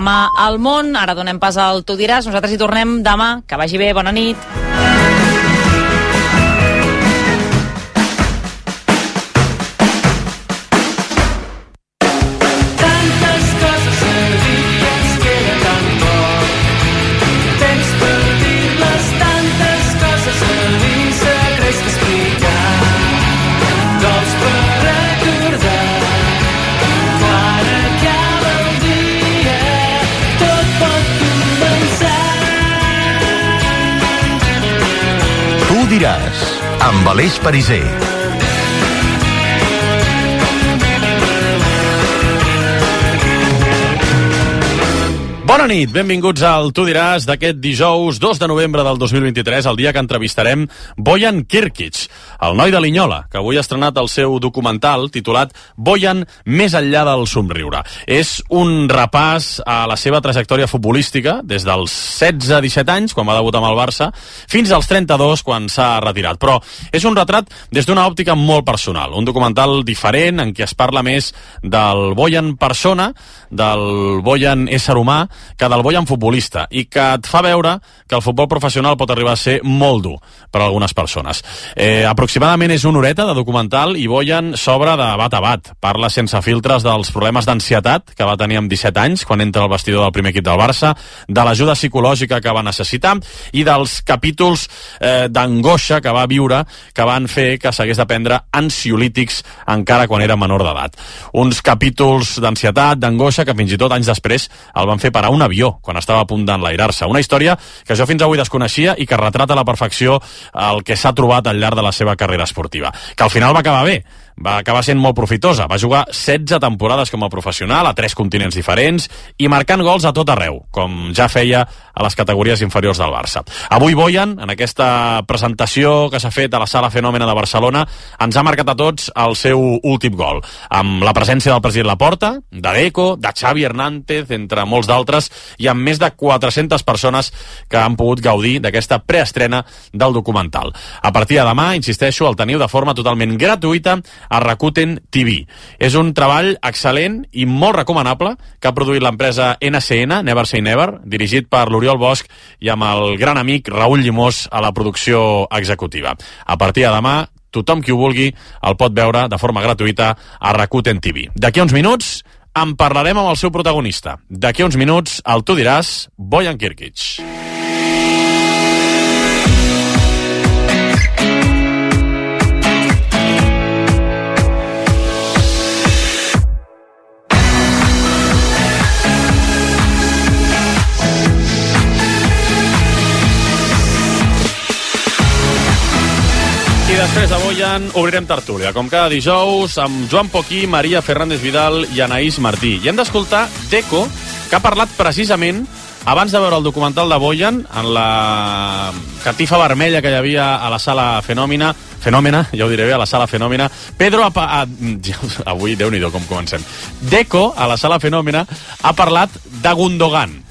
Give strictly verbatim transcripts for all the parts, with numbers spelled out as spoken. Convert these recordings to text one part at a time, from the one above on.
Demà al món, ara donem pas al Tu diràs, nosaltres hi tornem demà, que vagi bé, bona nit. Diràs, amb Aleix Pariser. Bona nit, benvinguts al Tu diràs d'aquest dijous dos de novembre del dos mil vint-i-tres, el dia que entrevistarem Bojan Kirkic, el noi de Linyola, que avui ha estrenat el seu documental titulat Bojan més enllà del somriure. És un repàs a la seva trajectòria futbolística des dels setze a disset anys, quan va debutar amb el Barça, fins als trenta-dos, quan s'ha retirat. Però és un retrat des d'una òptica molt personal, un documental diferent en què es parla més del Bojan persona, del Bojan ésser humà, que del Bojan futbolista, i que et fa veure que el futbol professional pot arribar a ser molt dur per a algunes persones. Eh, aproximadament és una horeta de documental i Bojan s'obre de bat a bat. Parla sense filtres dels problemes d'ansietat que va tenir amb disset anys quan entra al vestidor del primer equip del Barça, de l'ajuda psicològica que va necessitar i dels capítols eh, d'angoixa que va viure, que van fer que s'hagués de prendre ansiolítics encara quan era menor d'edat. Uns capítols d'ansietat, d'angoixa, que fins i tot anys després el van fer parar un avió quan estava a punt d'enlairar-se. Una història que jo fins avui desconeixia i que retrata a la perfecció el que s'ha trobat al llarg de la seva carrera esportiva. Que al final va acabar bé, va acabar sent molt profitosa. Va jugar setze temporades com a professional a tres continents diferents i marcant gols a tot arreu, com ja feia a les categories inferiors del Barça. Avui Bojan, en aquesta presentació que s'ha fet a la Sala Fenòmena de Barcelona, ens ha marcat a tots el seu últim gol, amb la presència del president Laporta, de Deco, de Xavi Hernández, entre molts d'altres, i amb més de quatre-centes persones que han pogut gaudir d'aquesta preestrena del documental. A partir de demà, insisteixo, el teniu de forma totalment gratuïta a Rakuten T V. És un treball excel·lent i molt recomanable que ha produït l'empresa N C N, Never Say Never, dirigit per l'Oriol Bosch i amb el gran amic Raül Llimós a la producció executiva. A partir de demà, tothom qui ho vulgui el pot veure de forma gratuïta a Rakuten T V. D'aquí a uns minuts en parlarem amb el seu protagonista. D'aquí a uns minuts el Tu diràs, Bojan Kirkic. I després de Bojan obrirem tertúlia, com cada dijous, amb Joan Poquí, Maria Fernández Vidal i Anaïs Martí. I hem d'escoltar Deco, que ha parlat precisament abans de veure el documental de Bojan en la catifa vermella que hi havia a la Sala Fenòmena, Fenòmena, ja ho diré bé, a la Sala Fenòmena. Pedro, a, a, avui, Déu-n'hi-do com comencem. Deco, a la Sala Fenòmena, ha parlat de Gundogan.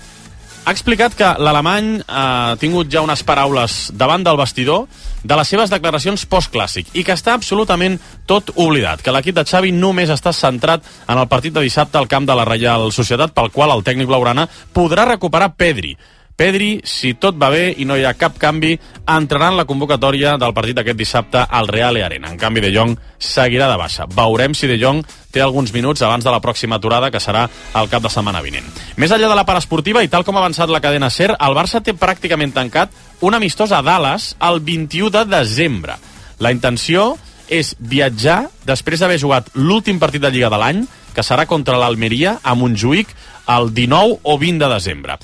Ha explicat que l'alemany ha tingut ja unes paraules davant del vestidor de les seves declaracions postclàssic i que està absolutament tot oblidat, que l'equip de Xavi només està centrat en el partit de dissabte al camp de la Reial Societat, pel qual el tècnic blaugrana podrà recuperar Pedri. Pedri, si tot va bé i no hi ha cap canvi, entrarà en la convocatòria del partit d'aquest dissabte al Real Arena. En canvi, De Jong seguirà de baixa. Veurem si De Jong té alguns minuts abans de la pròxima aturada, que serà el cap de setmana vinent. Més enllà de la part esportiva, i tal com ha avançat la cadena SER, el Barça té pràcticament tancat un amistós a Dallas el vint-i-u de desembre. La intenció és viatjar després d'haver jugat l'últim partit de Lliga de l'any, que serà contra l'Almeria a Montjuïc el dinou o vint de desembre.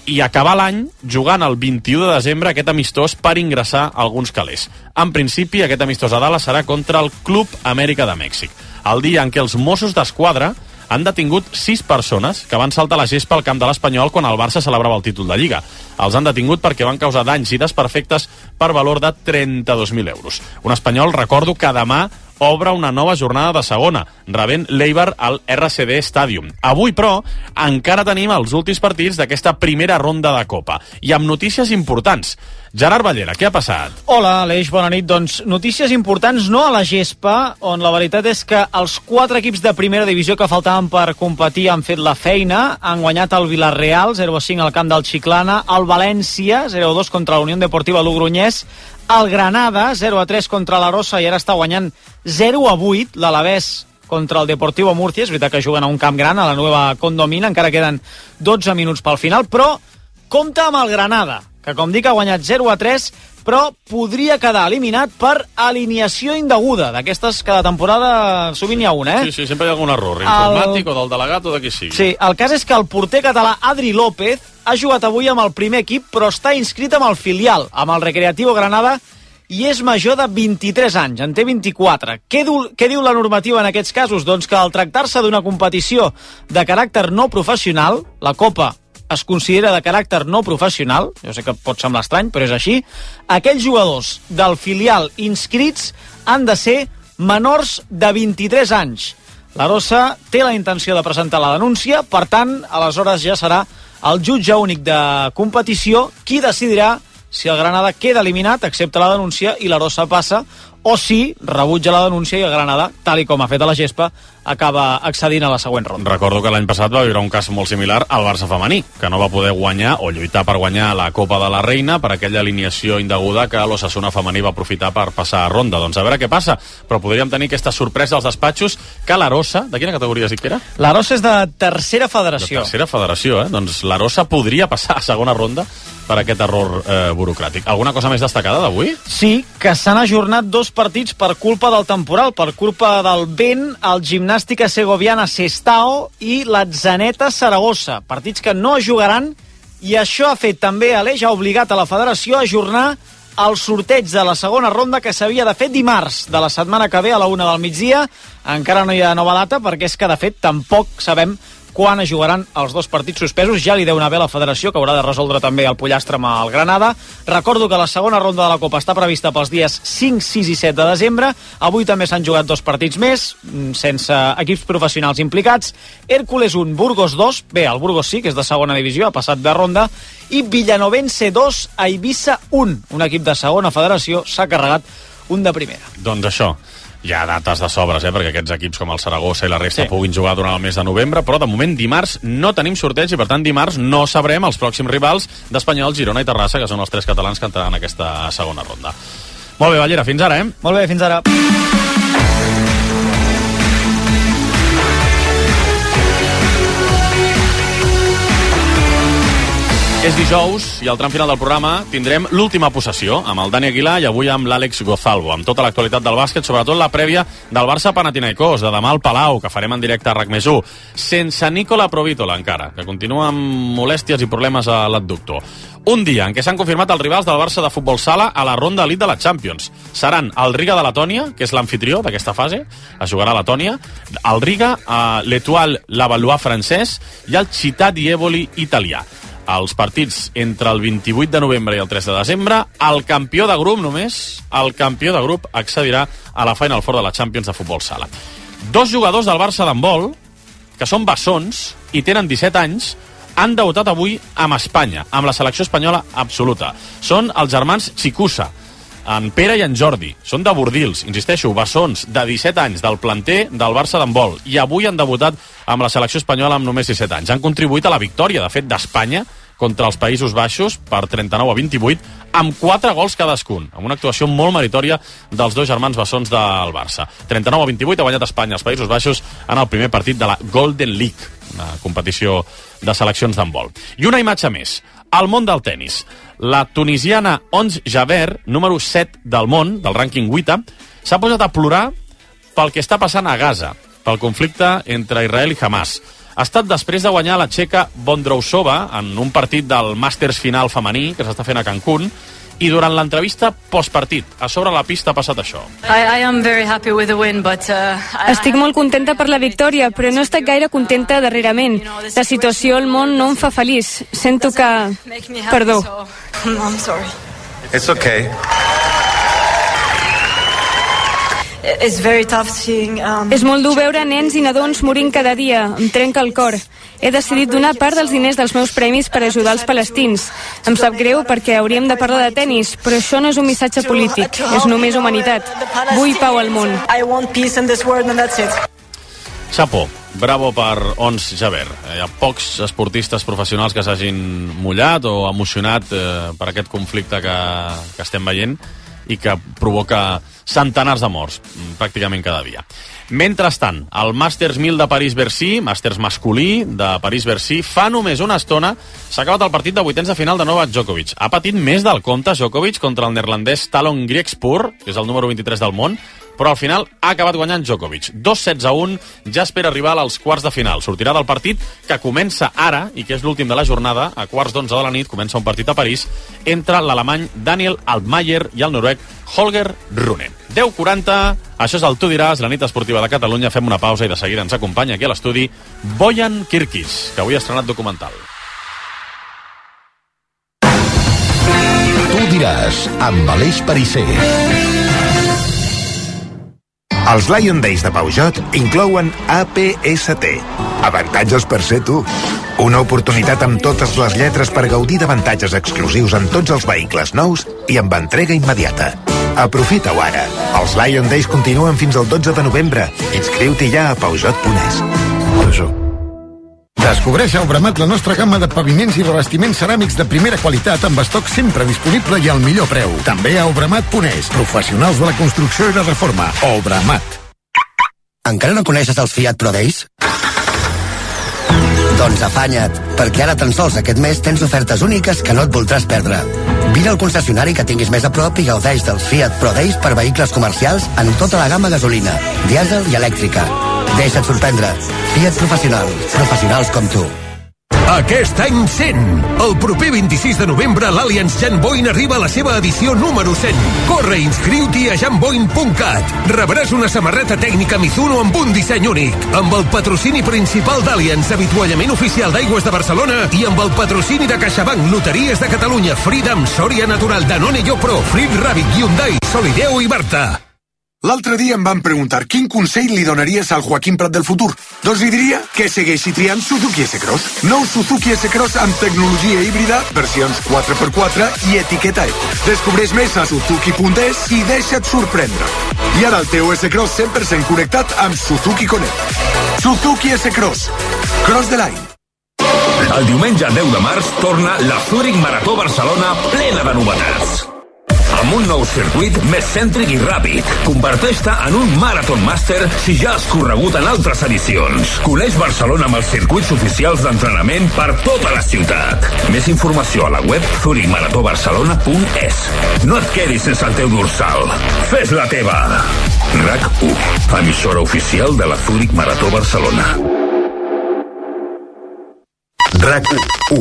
I acabar l'any jugant el vint-i-u de desembre aquest amistós per ingressar alguns calés. En principi, aquest amistós a Dallas serà contra el Club Amèrica de Mèxic, el dia en què els Mossos d'Esquadra han detingut sis persones que van saltar la gespa al camp de l'Espanyol quan el Barça celebrava el títol de Lliga. Els han detingut perquè van causar danys i desperfectes per valor de trenta-dos mil euros. Un Espanyol, recordo, que demà obre una nova jornada de segona, rebent l'Eibar al R C D Stadium. Avui, però, encara tenim els últims partits d'aquesta primera ronda de Copa. I amb notícies importants. Gerard Ballera, què ha passat? Hola, Aleix, bona nit. Doncs notícies importants no a la gespa, on la veritat és que els quatre equips de primera divisió que faltaven per competir han fet la feina. Han guanyat el Villarreal, zero a cinc al camp del Chiclana, el València, zero a dos contra la Unió Deportiva Logroñés, el Granada, zero a tres contra l'Arosa i ara està guanyant zero a vuit l'Alavés contra el Deportivo Murcia. És veritat que juguen a un camp gran, a la Nueva Condomina, encara queden dotze minuts pel final, però compta amb el Granada, que com dic ha guanyat zero a tres, però podria quedar eliminat per alineació indeguda, d'aquestes cada temporada sovint hi ha una, eh? Sí, sí, sempre hi ha algun error, informàtic el... o del delegat o de qui sigui. Sí, el cas és que el porter català Adri López ha jugat avui amb el primer equip, però està inscrit amb el filial, amb el Recreativo Granada, i és major de vint-i-tres anys, en té vint-i-quatre. Què diu, què diu la normativa en aquests casos? Doncs que al tractar-se d'una competició de caràcter no professional, la Copa es considera de caràcter no professional, jo sé que pot semblar estrany, però és així, aquells jugadors del filial inscrits han de ser menors de vint-i-tres anys. L'Arosa té la intenció de presentar la denúncia, per tant, aleshores ja serà el jutge únic de competició qui decidirà si el Granada queda eliminat, accepta la denúncia i l'Arosa passa, o si rebutja la denúncia i el Granada, tal i com ha fet a la gespa, acaba accedint a la següent ronda. Recordo que l'any passat va viure un cas molt similar al Barça femení, que no va poder guanyar o lluitar per guanyar la Copa de la Reina per aquella alineació indeguda que l'Osasuna femení va aprofitar per passar a ronda. Doncs a veure què passa, però podríem tenir aquesta sorpresa als despatxos que l'Arosa, de quina categoria has dit que era? L'Arosa és de tercera federació. De tercera federació, eh? Doncs l'Arosa podria passar a segona ronda per aquest error eh, burocràtic. Alguna cosa més destacada d'avui? Sí, que s'han ajornat dos partits per culpa del temporal, per culpa del vent, el Gimnàstica Segoviana Sestao i l'Atzaneta Saragossa. Partits que no es jugaran, i això ha fet també, Aleix, ha obligat a la federació a ajornar el sorteig de la segona ronda que s'havia de fer dimarts de la setmana que ve a la una del migdia. Encara no hi ha nova data perquè és que, de fet, tampoc sabem quan es jugaran els dos partits suspesos. Ja li deu anar bé a la federació, que haurà de resoldre també el pollastre amb el Granada. Recordo que la segona ronda de la Copa està prevista pels dies cinc, sis i set de desembre. Avui també s'han jugat dos partits més, sense equips professionals implicats. Hércules un, Burgos dos, bé, el Burgos sí, que és de segona divisió, ha passat de ronda, i Villanovense dos, a Eivissa un. Un equip de segona federació s'ha carregat un de primera. Doncs això. Hi ha dates de sobres, eh, perquè aquests equips com el Saragossa i la resta sí. puguin jugar durant el mes de novembre, però de moment dimarts no tenim sorteig i per tant dimarts no sabrem els pròxims rivals d'Espanyol, Girona i Terrassa, que són els tres catalans que entraran en aquesta segona ronda. Molt bé, Ballera, fins ara, eh? Molt bé, fins ara. És dijous i al tram final del programa tindrem l'última possessió amb el Dani Aguilar i avui amb l'Àlex Gozalvo, amb tota l'actualitat del bàsquet, sobretot la prèvia del Barça-Panathinaikos, de demà al Palau, que farem en directe a RAC més u, sense Nicola Provítola encara, que continua amb molèsties i problemes a l'adductor. Un dia en què s'han confirmat els rivals del Barça de futbol sala a la ronda elite de la Champions. Seran el Riga de Letònia, que és l'anfitrió d'aquesta fase, es jugarà a Letònia, el Riga, l'Etoile Lavallois francès i el Città di Eboli italià. Els partits entre el vint-i-vuit de novembre i el tres de desembre, el campió de grup només, el campió de grup accedirà a la Final Four de la Champions de futbol sala. Dos jugadors del Barça d'handbol, que són bessons i tenen disset anys, han debutat avui amb Espanya, amb la selecció espanyola absoluta. Són els germans Chicusa, en Pere i en Jordi. Són de Bordils, insisteixo, bessons de disset anys del planter del Barça d'handbol, i avui han debutat amb la selecció espanyola amb només disset anys. Han contribuït a la victòria, de fet, d'Espanya contra els Països Baixos per trenta-nou a vint-i-vuit, amb quatre gols cadascun, amb una actuació molt meritòria dels dos germans bessons del Barça. trenta-nou a vint-i-vuit ha guanyat Espanya als Països Baixos en el primer partit de la Golden League, una competició de seleccions d'handbol. I una imatge més, al món del tennis. La tunisiana Ons Jabeur, número set del món, del rànquing vuit, s'ha posat a plorar pel que està passant a Gaza, pel conflicte entre Israel i Hamas. Ha estat després de guanyar la txeca Bondrousova en un partit del Màsters final femení que s'està fent a Cancún, i durant l'entrevista postpartit, a sobre la pista ha passat això. I, I am very happy with the win, but, uh, Estic molt contenta per la victòria, però no he estat gaire contenta darrerament. La situació al món no em fa feliç. Sento que... Perdó. I'm sorry. It's okay. it's very tough seeing... Um, És molt dur veure nens i nadons morint cada dia. Em trenca el cor. He decidit donar part dels diners dels meus premis per ajudar els palestins. Em sap greu perquè hauríem de parlar de tennis, però això no és un missatge polític, és només humanitat. Vull pau al món. I want peace in this world and that's it. Chapo, bravo per Ons Jabeur. Hi ha pocs esportistes professionals que s'hagin mullat o emocionat eh, per aquest conflicte que, que estem veient i que provoca centenars de morts, pràcticament cada dia. Mentrestant, el Masters mil de París-Bercy, Masters masculí de París-Bercy, fa només una estona s'ha acabat el partit de vuitens de final de Novak Djokovic. Ha patit més del compte Djokovic contra el neerlandès Talon Griekspur, que és el número vint-i-tres del món, però al final ha acabat guanyant Djokovic. dos sets a un, ja espera arribar als quarts de final. Sortirà del partit que comença ara, i que és l'últim de la jornada, a quarts d'onze de la nit, comença un partit a París, entre l'alemany Daniel Altmaier i el noruec Holger Rune. deu quaranta, això és el Tu diràs, la nit esportiva de Catalunya. Fem una pausa i de seguida ens acompanya aquí a l'estudi Bojan Kirkic, que avui ha estrenat documental. Tu diràs, amb Aleix Pariser. Els Lion Days de Peugeot inclouen A P S T. Avantatges per ser tu. Una oportunitat amb totes les lletres per gaudir d'avantatges exclusius en tots els vehicles nous i amb entrega immediata. Aprofita-ho ara. Els Lion Days continuen fins al dotze de novembre. Inscriu-t'hi ja a Peugeot punt es. Peugeot. Descobreix a Obramat la nostra gamma de paviments i revestiments ceràmics de primera qualitat amb estoc sempre disponible i al millor preu. També a Obramat punt es. Professionals de la construcció i la reforma. Obramat. Encara no coneixes els Fiat Pro Days? Doncs afanya't, perquè ara tan sols aquest mes tens ofertes úniques que no et voldràs perdre. Vine al concessionari que tinguis més a prop i gaudeix dels Fiat Pro Days per vehicles comercials en tota la gamma gasolina, dièsel i elèctrica. Deixa't sorprendre. Fiat Professional. Professionals com tu. Aquest any cent. El proper vint-i-sis de novembre l'Allianz Jan Boyn arriba a la seva edició número cent. Corre i inscriu-t'hi a jan boyn punt cat. Rebràs una samarreta tècnica Mizuno amb un disseny únic, amb el patrocini principal d'Allianz, avituallament oficial d'Aigües de Barcelona, i amb el patrocini de CaixaBank, Loteries de Catalunya, Freedom, Soria Natural, Danone Yopro, Frit Rabbit, Hyundai, Solideo i Berta. L'altre dia em van preguntar quin consell li donaries al Joaquim Prat del futur. Doncs li diria que segueixi triant Suzuki S-Cross. Nou Suzuki S-Cross amb tecnologia híbrida, versions quatre per quatre i etiqueta eco. Descobreix més a suzuki punt es i deixa't sorprendre. I ara el teu S-Cross cent per cent connectat amb Suzuki Connect. Suzuki S-Cross. Cross the line. El diumenge deu de març torna la Zurich Marató Barcelona plena de novetats. Amb un nou circuit més cèntric i ràpid. Converteix-te en un Marathon Master si ja has corregut en altres edicions. Coneix Barcelona amb els circuits oficials d'entrenament per tota la ciutat. Més informació a la web zurich marató barcelona punt es. No et quedis sense el teu dorsal. Fes la teva. RAC u, emissora oficial de la Zurich Marató Barcelona. RAC u.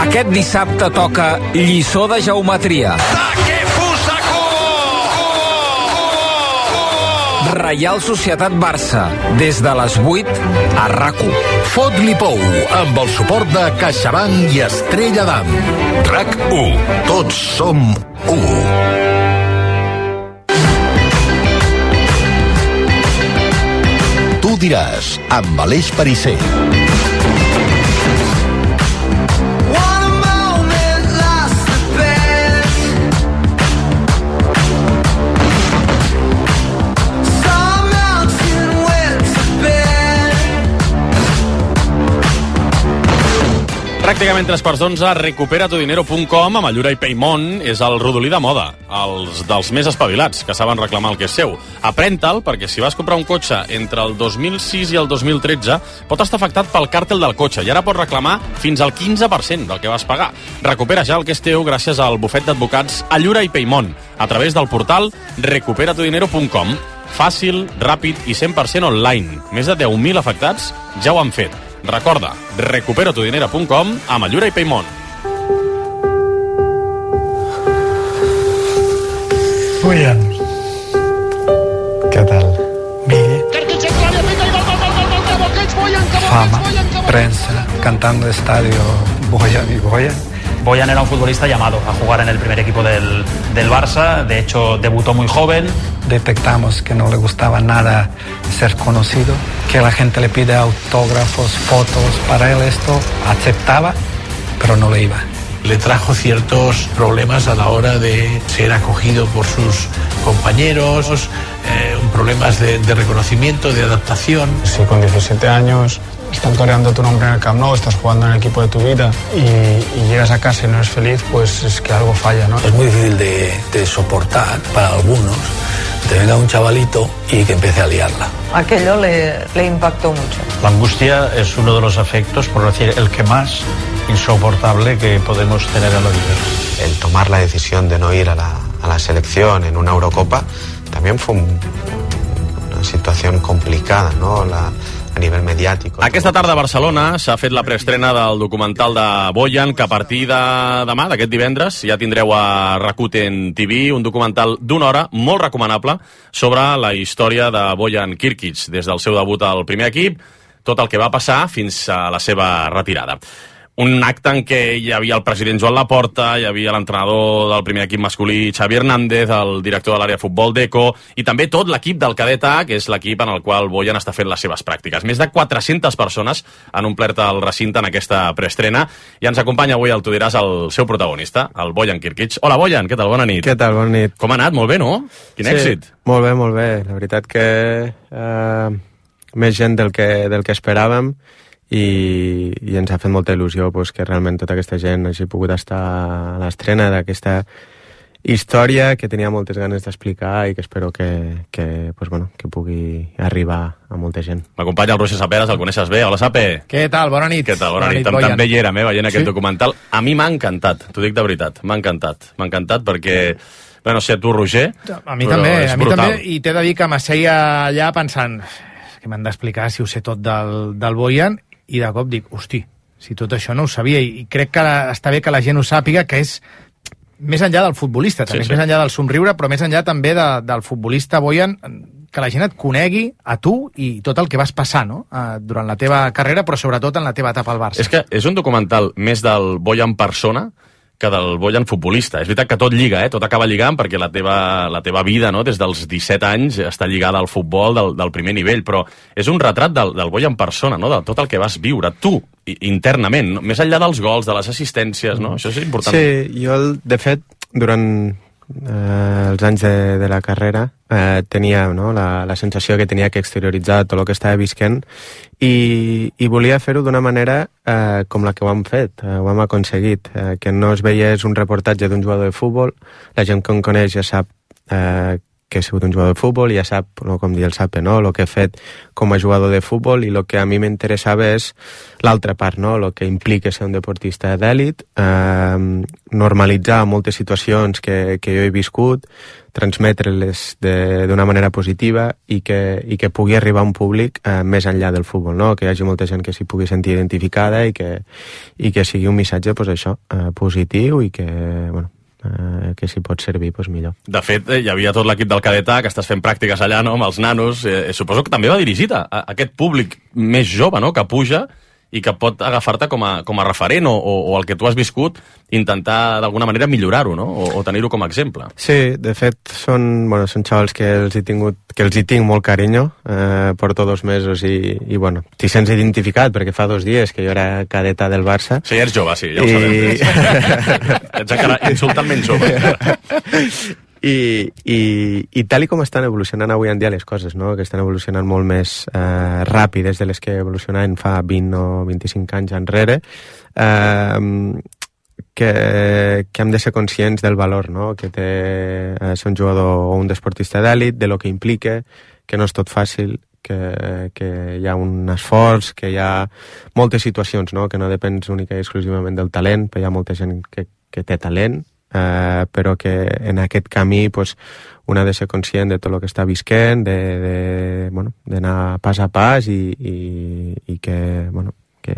Aquest dissabte toca lliçó de geometria. Reial Societat Barça, des de les vuit a RAC u. Fot-li pou, amb el suport de CaixaBank i Estrella d'Am. RAC u. Tots som u. Tu diràs, amb Aleix Pariser. Pràcticament tres quarts d'onze, recupera tu dinero punt com amb Allura i Paymont és el rodolí de moda, els dels més espavilats, que saben reclamar el que és seu. Aprèn-te'l, perquè si vas comprar un cotxe entre el dos mil sis i el dos mil tretze, pot estar afectat pel càrtel del cotxe i ara pots reclamar fins al quinze per cent del que vas pagar. Recupera ja el que és teu gràcies al bufet d'advocats Allura i Paymont, a través del portal recupera tu dinero punt com. Fàcil, ràpid i cent per cent online. Més de deu mil afectats ja ho han fet. Recorda, recupera tu dinero punt com amb Allura i Paymont. Bojan, ¿qué tal? Bé. Fama, prensa, cantando estadio Bojan y Bojan. Boyan era un futbolista llamado a jugar en el primer equipo del, del Barça, de hecho debutó muy joven. Detectamos que no le gustaba nada ser conocido, que la gente le pide autógrafos, fotos, para él esto aceptaba, pero no le iba. Le trajo ciertos problemas a la hora de ser acogido por sus compañeros, eh, problemas de, de reconocimiento, de adaptación. Si con diecisiete años están coreando tu nombre en el Camp Nou, estás jugando en el equipo de tu vida y, y llegas a casa y no eres feliz, pues es que algo falla, ¿no? Es muy difícil de, de soportar para algunos, que venga un chavalito y que empiece a liarla. Aquello le, le impactó mucho. La angustia es uno de los afectos, por decir el que más insoportable que podemos tener en la vida. El tomar la decisión de no ir a la, a la selección en una Eurocopa también fue un, una situación complicada, ¿no? La, a nivell mediàtic. Aquesta tarda a Barcelona s'ha fet la preestrena del documental de Boyan, que a partir de demà, d'aquest divendres, ja tindreu a Rakuten T V, un documental d'una hora molt recomanable sobre la història de Boyan Kirkic, des del seu debut al primer equip, tot el que va passar fins a la seva retirada. Un acte en què hi havia el president Joan Laporta, hi havia l'entrenador del primer equip masculí Xavi Hernández, el director de l'àrea de futbol Deco, i també tot l'equip del Cadet A, que és l'equip en el qual Boyan està fent les seves pràctiques. Més de quatre-centes persones han omplert el recinte en aquesta preestrena, i ens acompanya avui al Tu diràs el seu protagonista, el Boyan Kirkic. Hola, Boyan, què tal? Bona nit. Què tal? Bona nit. Com ha anat? Molt bé, no? Quin sí, èxit. Molt bé, molt bé. La veritat que eh, més gent del que, del que esperàvem, i, i ens ha fet molta il·lusió pues, que realment tota aquesta gent hagi pogut estar a l'estrena d'aquesta història que tenia moltes ganes d'explicar i que espero que, que, pues, bueno, que pugui arribar a molta gent. M'acompanya el Roger Saperas, el coneixes bé. Hola, Sape. Què tal? Bona nit. Què tal? Bona, Bona nit. nit També hi érem, eh, veient aquest sí? documental. A mi m'ha encantat, t'ho dic de veritat, m'ha encantat. M'ha encantat perquè... Bé, no sé, tu, Roger... A mi també, a mi també, i t'he de dir que m'asseia allà pensant que m'han d'explicar si ho sé tot del, del Boyan, i de cop dic, hosti, si tot això no ho sabia, i crec que està bé que la gent ho sàpiga, que és més enllà del futbolista, també sí, sí. més enllà del somriure, però més enllà també de, del futbolista Boyan, que la gent et conegui a tu i tot el que vas passar, no?, durant la teva carrera, però sobretot en la teva etapa al Barça. És que és un documental més del Boyan persona que del Boyan futbolista. És veritat que tot lliga, eh? Tot acaba lligant, perquè la teva, la teva vida, no?, des dels disset anys està lligada al futbol del, del primer nivell, però és un retrat del, del Boyan persona, no?, de tot el que vas viure tu, internament, no? Més enllà dels gols, de les assistències, no? Això és important. Sí, jo, de fet, durant eh, els anys de, de la carrera eh, tenia, no?, la, la sensació que tenia que exterioritzar tot el que estava visquent i, i volia fer-ho d'una manera eh, com la que ho hem fet, eh, ho hem aconseguit, eh, que no es veiés un reportatge d'un jugador de futbol. La gent que em coneix ja sap eh, que he sigut un jugador de futbol i ja sap, no, com dir el Sape, no?, el que he fet com a jugador de futbol, i el que a mi m'interessava és l'altra part, no?, el que implica ser un deportista d'èlit, eh, normalitzar moltes situacions que, que jo he viscut, transmetre-les d'una manera positiva i que, i que pugui arribar a un públic eh, més enllà del futbol, no?, que hi hagi molta gent que s'hi pugui sentir identificada i que, i que sigui un missatge, pues, això, eh, positiu i que, bueno, Uh, que si pot servir, doncs millor. De fet, hi havia tot l'equip del Cadet A, que estàs fent pràctiques allà, no?, amb els nanos. Eh, suposo que també va dirigit a, a aquest públic més jove, no?, que puja i que pot agafar-te com a, com a referent o, o, o el que tu has viscut, intentar d'alguna manera millorar-ho, no?, o, o tenir-ho com a exemple. Sí, de fet, són, bueno, són xavals que els he tingut, que els hi tinc molt carinyo, eh, porto dos mesos i, i bueno, t'hi sents identificat, perquè fa dos dies que jo era cadeta del Barça. Sí, ets jove, sí, ja ho I... sabem. Ets encara insultantment jove. I, i, i tal i com estan evolucionant avui en dia les coses, no?, que estan evolucionant molt més eh, ràpides de les que evolucionaven fa vint o vint-i-cinc anys enrere, eh, que, que hem de ser conscients del valor, no?, que té eh, ser un jugador o un deportista d'èlit, de lo que implica, que no és tot fàcil, que, que hi ha un esforç, que hi ha moltes situacions, no?, que no depens única i exclusivament del talent, però hi ha molta gent que, que té talent, Uh, però que en aquest camí pues, un ha de ser conscient de tot el que està visquent, de, de, bueno, d'anar pas a pas i, i, i que, bueno, que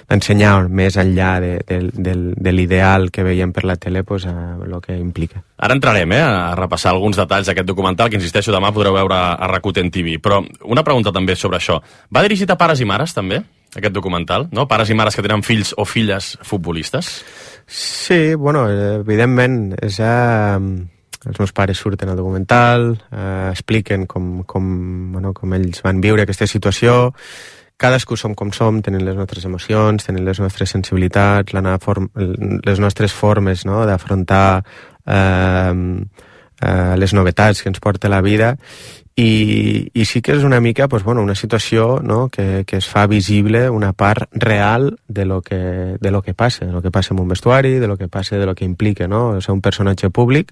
d'ensenyar més enllà de, de, de, de l'ideal que veiem per la tele pues, a el que implica. Ara entrarem eh, a repassar alguns detalls d'aquest documental que, insisteixo, demà podreu veure a Rakuten T V. Però una pregunta també sobre això. Va dirigit a pares i mares, també? aquest documental, no? Pares i mares que tenen fills o filles futbolistes. Sí, bueno, evidentment, és... Eh, els meus pares surten al documental, eh, expliquen com, com, bueno, com ells van viure aquesta situació. Cadascú som com som, tenim les nostres emocions, tenim les nostres sensibilitats, la form, les nostres formes, no?, d'afrontar eh, eh, les novetats que ens porta la vida. I, i sí que és una mica, pues, bueno, una situació, no?, que, que es fa visible una part real de lo que, de lo que passa, de lo que passa en un vestuari, de lo que passa, de lo que implica, no?, ser un personatge públic,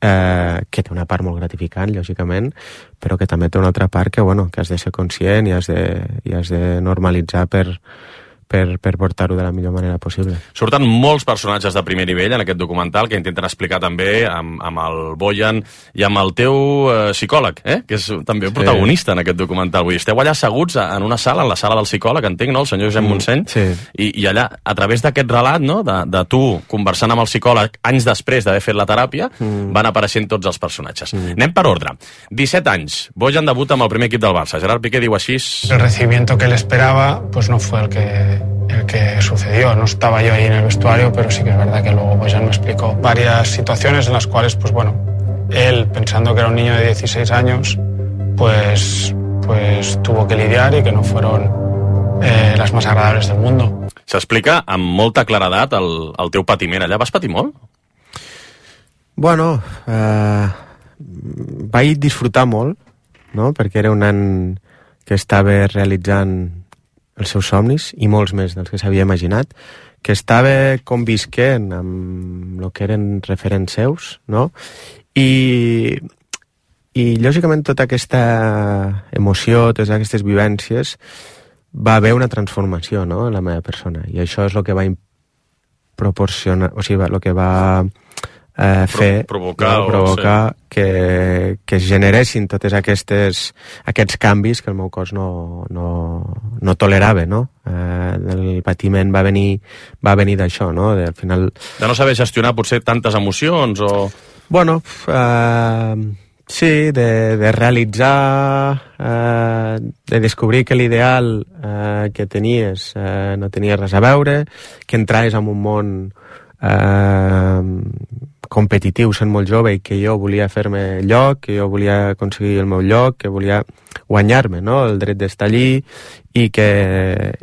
eh, que té una part molt gratificant, lògicament, però que també té una altra part que, bueno, que has de ser conscient i has de, i has de normalitzar per, per, per portar-ho de la millor manera possible. Surten molts personatges de primer nivell en aquest documental que intenten explicar també amb, amb el Bojan i amb el teu eh, psicòleg, eh? Que és també un protagonista en aquest documental. Vull dir, esteu allà asseguts en una sala, en la sala del psicòleg, entenc, no?, el senyor Josep Montseny, mm, sí. I, i allà, a través d'aquest relat, no?, de, de tu conversant amb el psicòleg anys després d'haver fet la teràpia, mm. van apareixent tots els personatges. Mm. Anem per ordre. disset anys, Bojan debuta amb el primer equip del Barça. Gerard Piqué diu així... El recibimiento que él esperaba pues no fue el que, el que sucedió. No estaba yo ahí en el vestuario, pero sí que es verdad que luego Bojan me explicó varias situaciones en las cuales, pues bueno, él, pensando que era un niño de dieciséis años, pues, pues tuvo que lidiar y que no fueron eh, las más agradables del mundo. S'explica amb molta claredat el, el teu patiment. Allà vas patir molt? Bueno, eh, vaig disfrutar molt, no?, perquè era un nen que estava realitzant els seus somnis, i molts més dels que s'havia imaginat, que estava convisquent amb el que eren referents seus, no? I, i lògicament tota aquesta emoció, totes aquestes vivències, va haver una transformació, no?, en la meva persona, i això és el que va proporcionar, o sigui, el que va eh, fer, Pro, provocar, no? provocar sí. que, que es generessin totes aquestes, aquests canvis que el meu cos no, no, no tolerava, no? Eh, el patiment va venir, va venir d'això, no? De, al final... De no saber gestionar potser tantes emocions o... Bueno, eh, sí, de, de realitzar, eh, de descobrir que l'ideal eh, que tenies eh, no tenia res a veure, que entraves en un món eh, competitiu sent molt jove i que jo volia fer-me lloc, que jo volia aconseguir el meu lloc, que volia guanyar-me, no?, el dret d'estar allí, i que,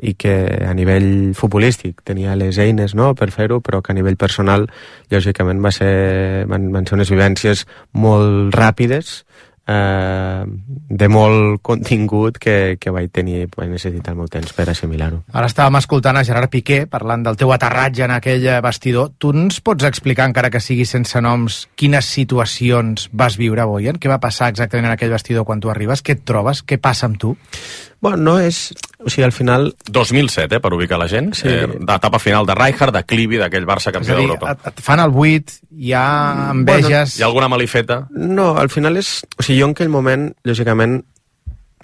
i que a nivell futbolístic tenia les eines, no?, per fer-ho, però que a nivell personal lògicament va ser, van, van ser unes vivències molt ràpides, eh, de molt contingut que, que vaig tenir, vaig necessitar el meu temps per assimilar-ho. Ara estàvem escoltant a Gerard Piqué parlant del teu aterratge en aquell vestidor. Tu ens pots explicar, encara que sigui sense noms, quines situacions vas viure, Bojan? Què va passar exactament en aquell vestidor quan tu arribes? Què et trobes? Què passa amb tu? Bueno, no és... O sigui, al final... dos mil set, eh, per ubicar la gent. Sí. Eh, d'etapa final de Rijkaard, de Clivi, d'aquell Barça campió d'Europa. Et, et fan el buit, hi ha enveges... Bueno, hi ha alguna malifeta? No, al final és... O sigui, jo en aquell moment, lògicament,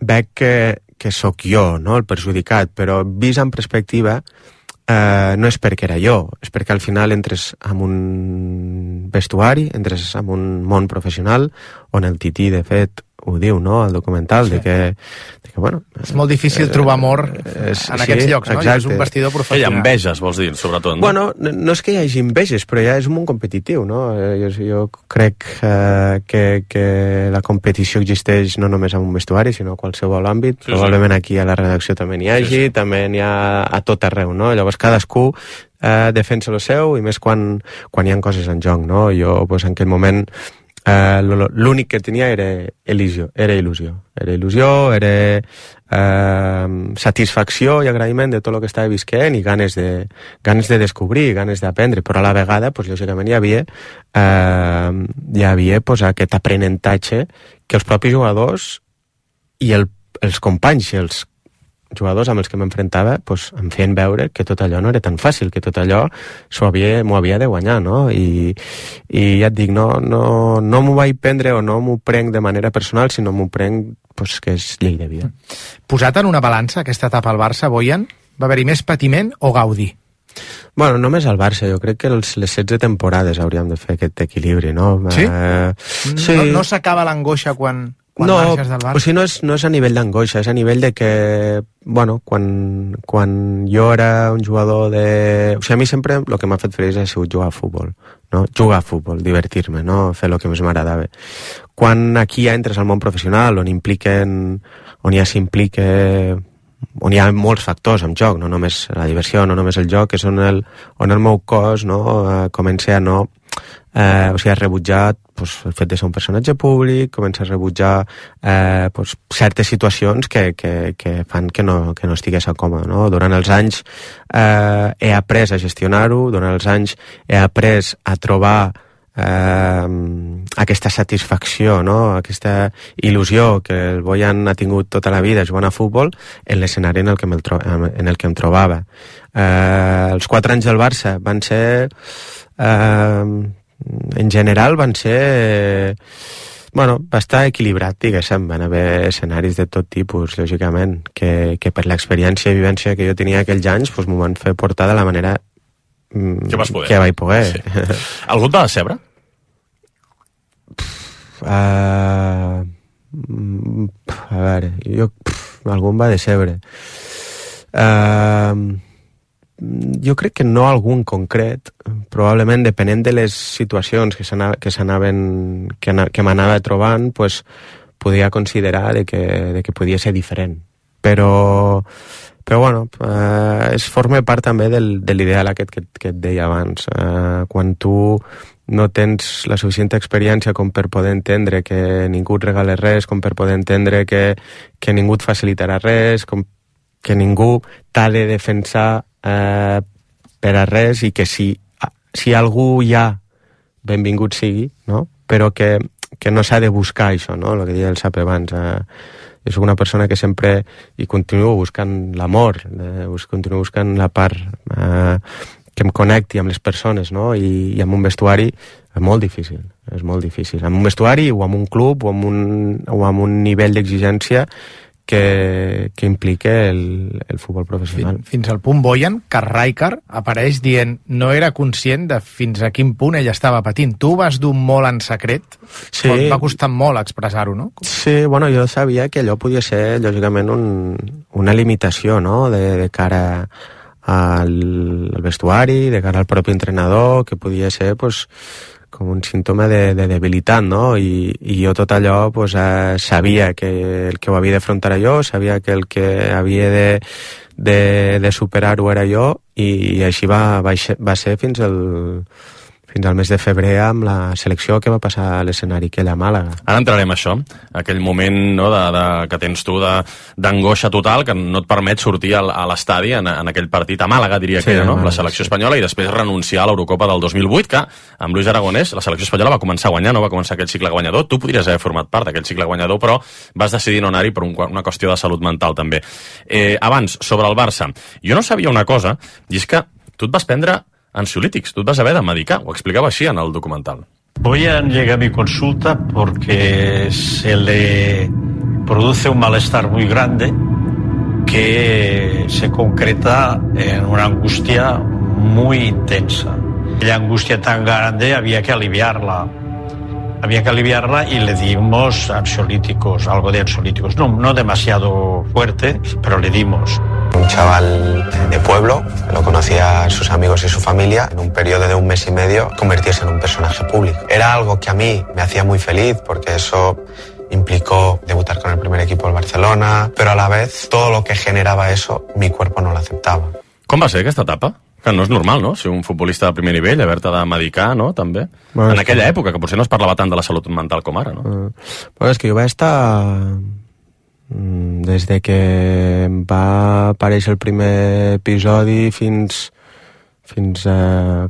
veig que, que sóc jo, no?, el perjudicat, però vist en perspectiva, eh, no és perquè era jo, és perquè al final entres en un vestuari, entres en un món professional, on el Tití, de fet, ho diu, no?, al documental, sí. de, que, de que, bueno... És molt difícil eh, trobar amor és, en aquests sí, llocs, no? Exacte. I és un vestidor professional. Hi ha enveges, vols dir, sobretot, no? Bueno, no és que hi hagi enveges, però ja és un món competitiu, no? Jo, jo crec eh, que, que la competició existeix no només en un vestuari, sinó a qualsevol àmbit. Sí, probablement sí. Aquí a la redacció també n'hi hagi, sí, sí. també n'hi ha a tot arreu, no? Llavors cadascú eh, defensa el seu, i més quan, quan hi ha coses en joc, no? Jo, pues, en aquell moment... Uh, l'únic que tenia era il·lusió, era il·lusió, era il·lusió, era uh, satisfacció i agraïment de tot el que estava visquent i ganes de, ganes de descobrir, ganes d'aprendre, però a la vegada, pues, lògicament, hi havia, uh, hi havia pues, aquest aprenentatge que els propis jugadors i el, els companys i els jugadors amb els que m'enfrontava pues, em feien veure que tot allò no era tan fàcil, que tot allò m'ho havia, havia de guanyar, no? I, i ja et dic, no, no, no m'ho vaig prendre o no m'ho prenc de manera personal, sinó m'ho prenc pues, que és llei de vida. Posat en una balança aquesta etapa al Barça, Bojan, va haver-hi més patiment o gaudi? Bueno, només al Barça, jo crec que els, les setze temporades hauríem de fer aquest equilibri, no? Sí? Uh, sí. No, no s'acaba l'angoixa quan... quan no, marxes del Barça? O sigui, no és, no és a nivell d'angoixa, és a nivell de que, bueno, quan, quan jo era un jugador de... O sigui, a mi sempre el que m'ha fet feliç ha sigut jugar a futbol, no? Jugar a futbol, divertir-me, no? Fer el que més m'agradava. Quan aquí ja entres al món professional, on impliquen, on ja s'implica, on hi ha molts factors en joc, no només la diversió, no només el joc, és on el, on el meu cos, no, eh, comença a no... Eh, o sigui, ha rebutjat pues, el fet de ser un personatge públic, comença a rebutjar eh, pues, certes situacions que, que, que fan que no, que no estigués a còmode, no? Durant els anys eh, he après a gestionar-ho, durant els anys he après a trobar eh, aquesta satisfacció, no? Aquesta il·lusió que el Bojan ha tingut tota la vida jugant a futbol en l'escenari en el que, tro en el que em trobava. Eh, els quatre anys del Barça van ser... Eh, en general van ser bueno, va estar equilibrat, diguéssim, van haver escenaris de tot tipus, lògicament, que, que per l'experiència i vivència que jo tenia aquells anys pues, m'ho van fer portar de la manera mm, que, vas poder. que vaig poder. Sí. Algú et va decebre? Uh, a veure, jo, pff, algú em va decebre. Uh, jo crec que no algun concret, probablement depenent de les situacions que s'anaven que, que m'anava trobant, pues, podia considerar de que, de que podia ser diferent. Però, però bueno, eh, es forma part també del, de l'ideal aquest que, que et deia abans. Eh, quan tu no tens la suficient experiència com per poder entendre que ningú et regala res, com per poder entendre que, que ningú et facilitarà res, com que ningú t'ha de defensar eh, per a res, i que si, si algú hi ha, benvingut sigui, no? Però que, que no s'ha de buscar això, no? El que deia el Sap abans. Eh, jo soc una persona que sempre, i continuo buscant l'amor, eh, continuo buscant la part eh, que em connecti amb les persones, no? I, i amb un vestuari és molt difícil, és molt difícil. Amb un vestuari o amb un club o amb un, o amb un nivell d'exigència que, que implica el, el futbol professional. Fins, fins al punt Bojan, que Rijkaard apareix dient no era conscient de fins a quin punt ell estava patint. Tu vas dur molt en secret, sí. Et va costar molt expressar-ho, no? Sí, bueno, jo sabia que allò podia ser, lògicament, un, una limitació, no?, de, de cara al, al vestuari, de cara al propi entrenador, que podia ser, pues, com un símptoma de, de debilitat, no? I, i jo tot allò pues, eh, sabia que el que ho havia d'afrontar era jo, sabia que el que havia de, de, de superar-ho era jo, i, i així va, va, va ser fins al, fins al mes de febrer amb la selecció que va passar a l'escenari aquell a Màlaga. Ara entrarem a això, aquell moment, no, de, de, que tens tu d'angoixa total, que no et permet sortir al, a l'estadi en, en aquell partit a Màlaga, diria sí, que era, no? La selecció espanyola, i després renunciar a l'Eurocopa del dos mil vuit, que amb Luis Aragonès la selecció espanyola va començar a guanyar, no va començar aquell cicle guanyador. Tu podries haver format part d'aquell cicle guanyador, però vas decidir no anar-hi per un, una qüestió de salut mental també. Eh, abans, sobre el Barça, jo no sabia una cosa, i és que tu et vas prendre ansiolítics, tú te vas a ver a medicar, o explicaba así en el documental. Bojan llega a mi consulta porque se le produce un malestar muy grande que se concreta en una angustia muy intensa. La angustia tan grande había que aliviarla. Había que aliviarla y le dimos ansiolíticos, algo de ansiolíticos. No, no demasiado fuerte, pero le dimos. Un chaval de pueblo, lo conocía sus amigos y su familia, en un periodo de un mes y medio convertirse en un personaje público. Era algo que a mí me hacía muy feliz porque eso implicó debutar con el primer equipo del Barcelona, pero a la vez todo lo que generaba eso, mi cuerpo no lo aceptava. Com va ser aquesta etapa? Que no és normal, no?, ser un futbolista de primer nivell, haver-te de medicar, no?, també. Bueno, en aquella que... època, que potser no es parlava tant de la salut mental com ara, no? Uh, bueno, és que jo vaig estar... Des de que va aparèixer el primer episodi fins... fins a...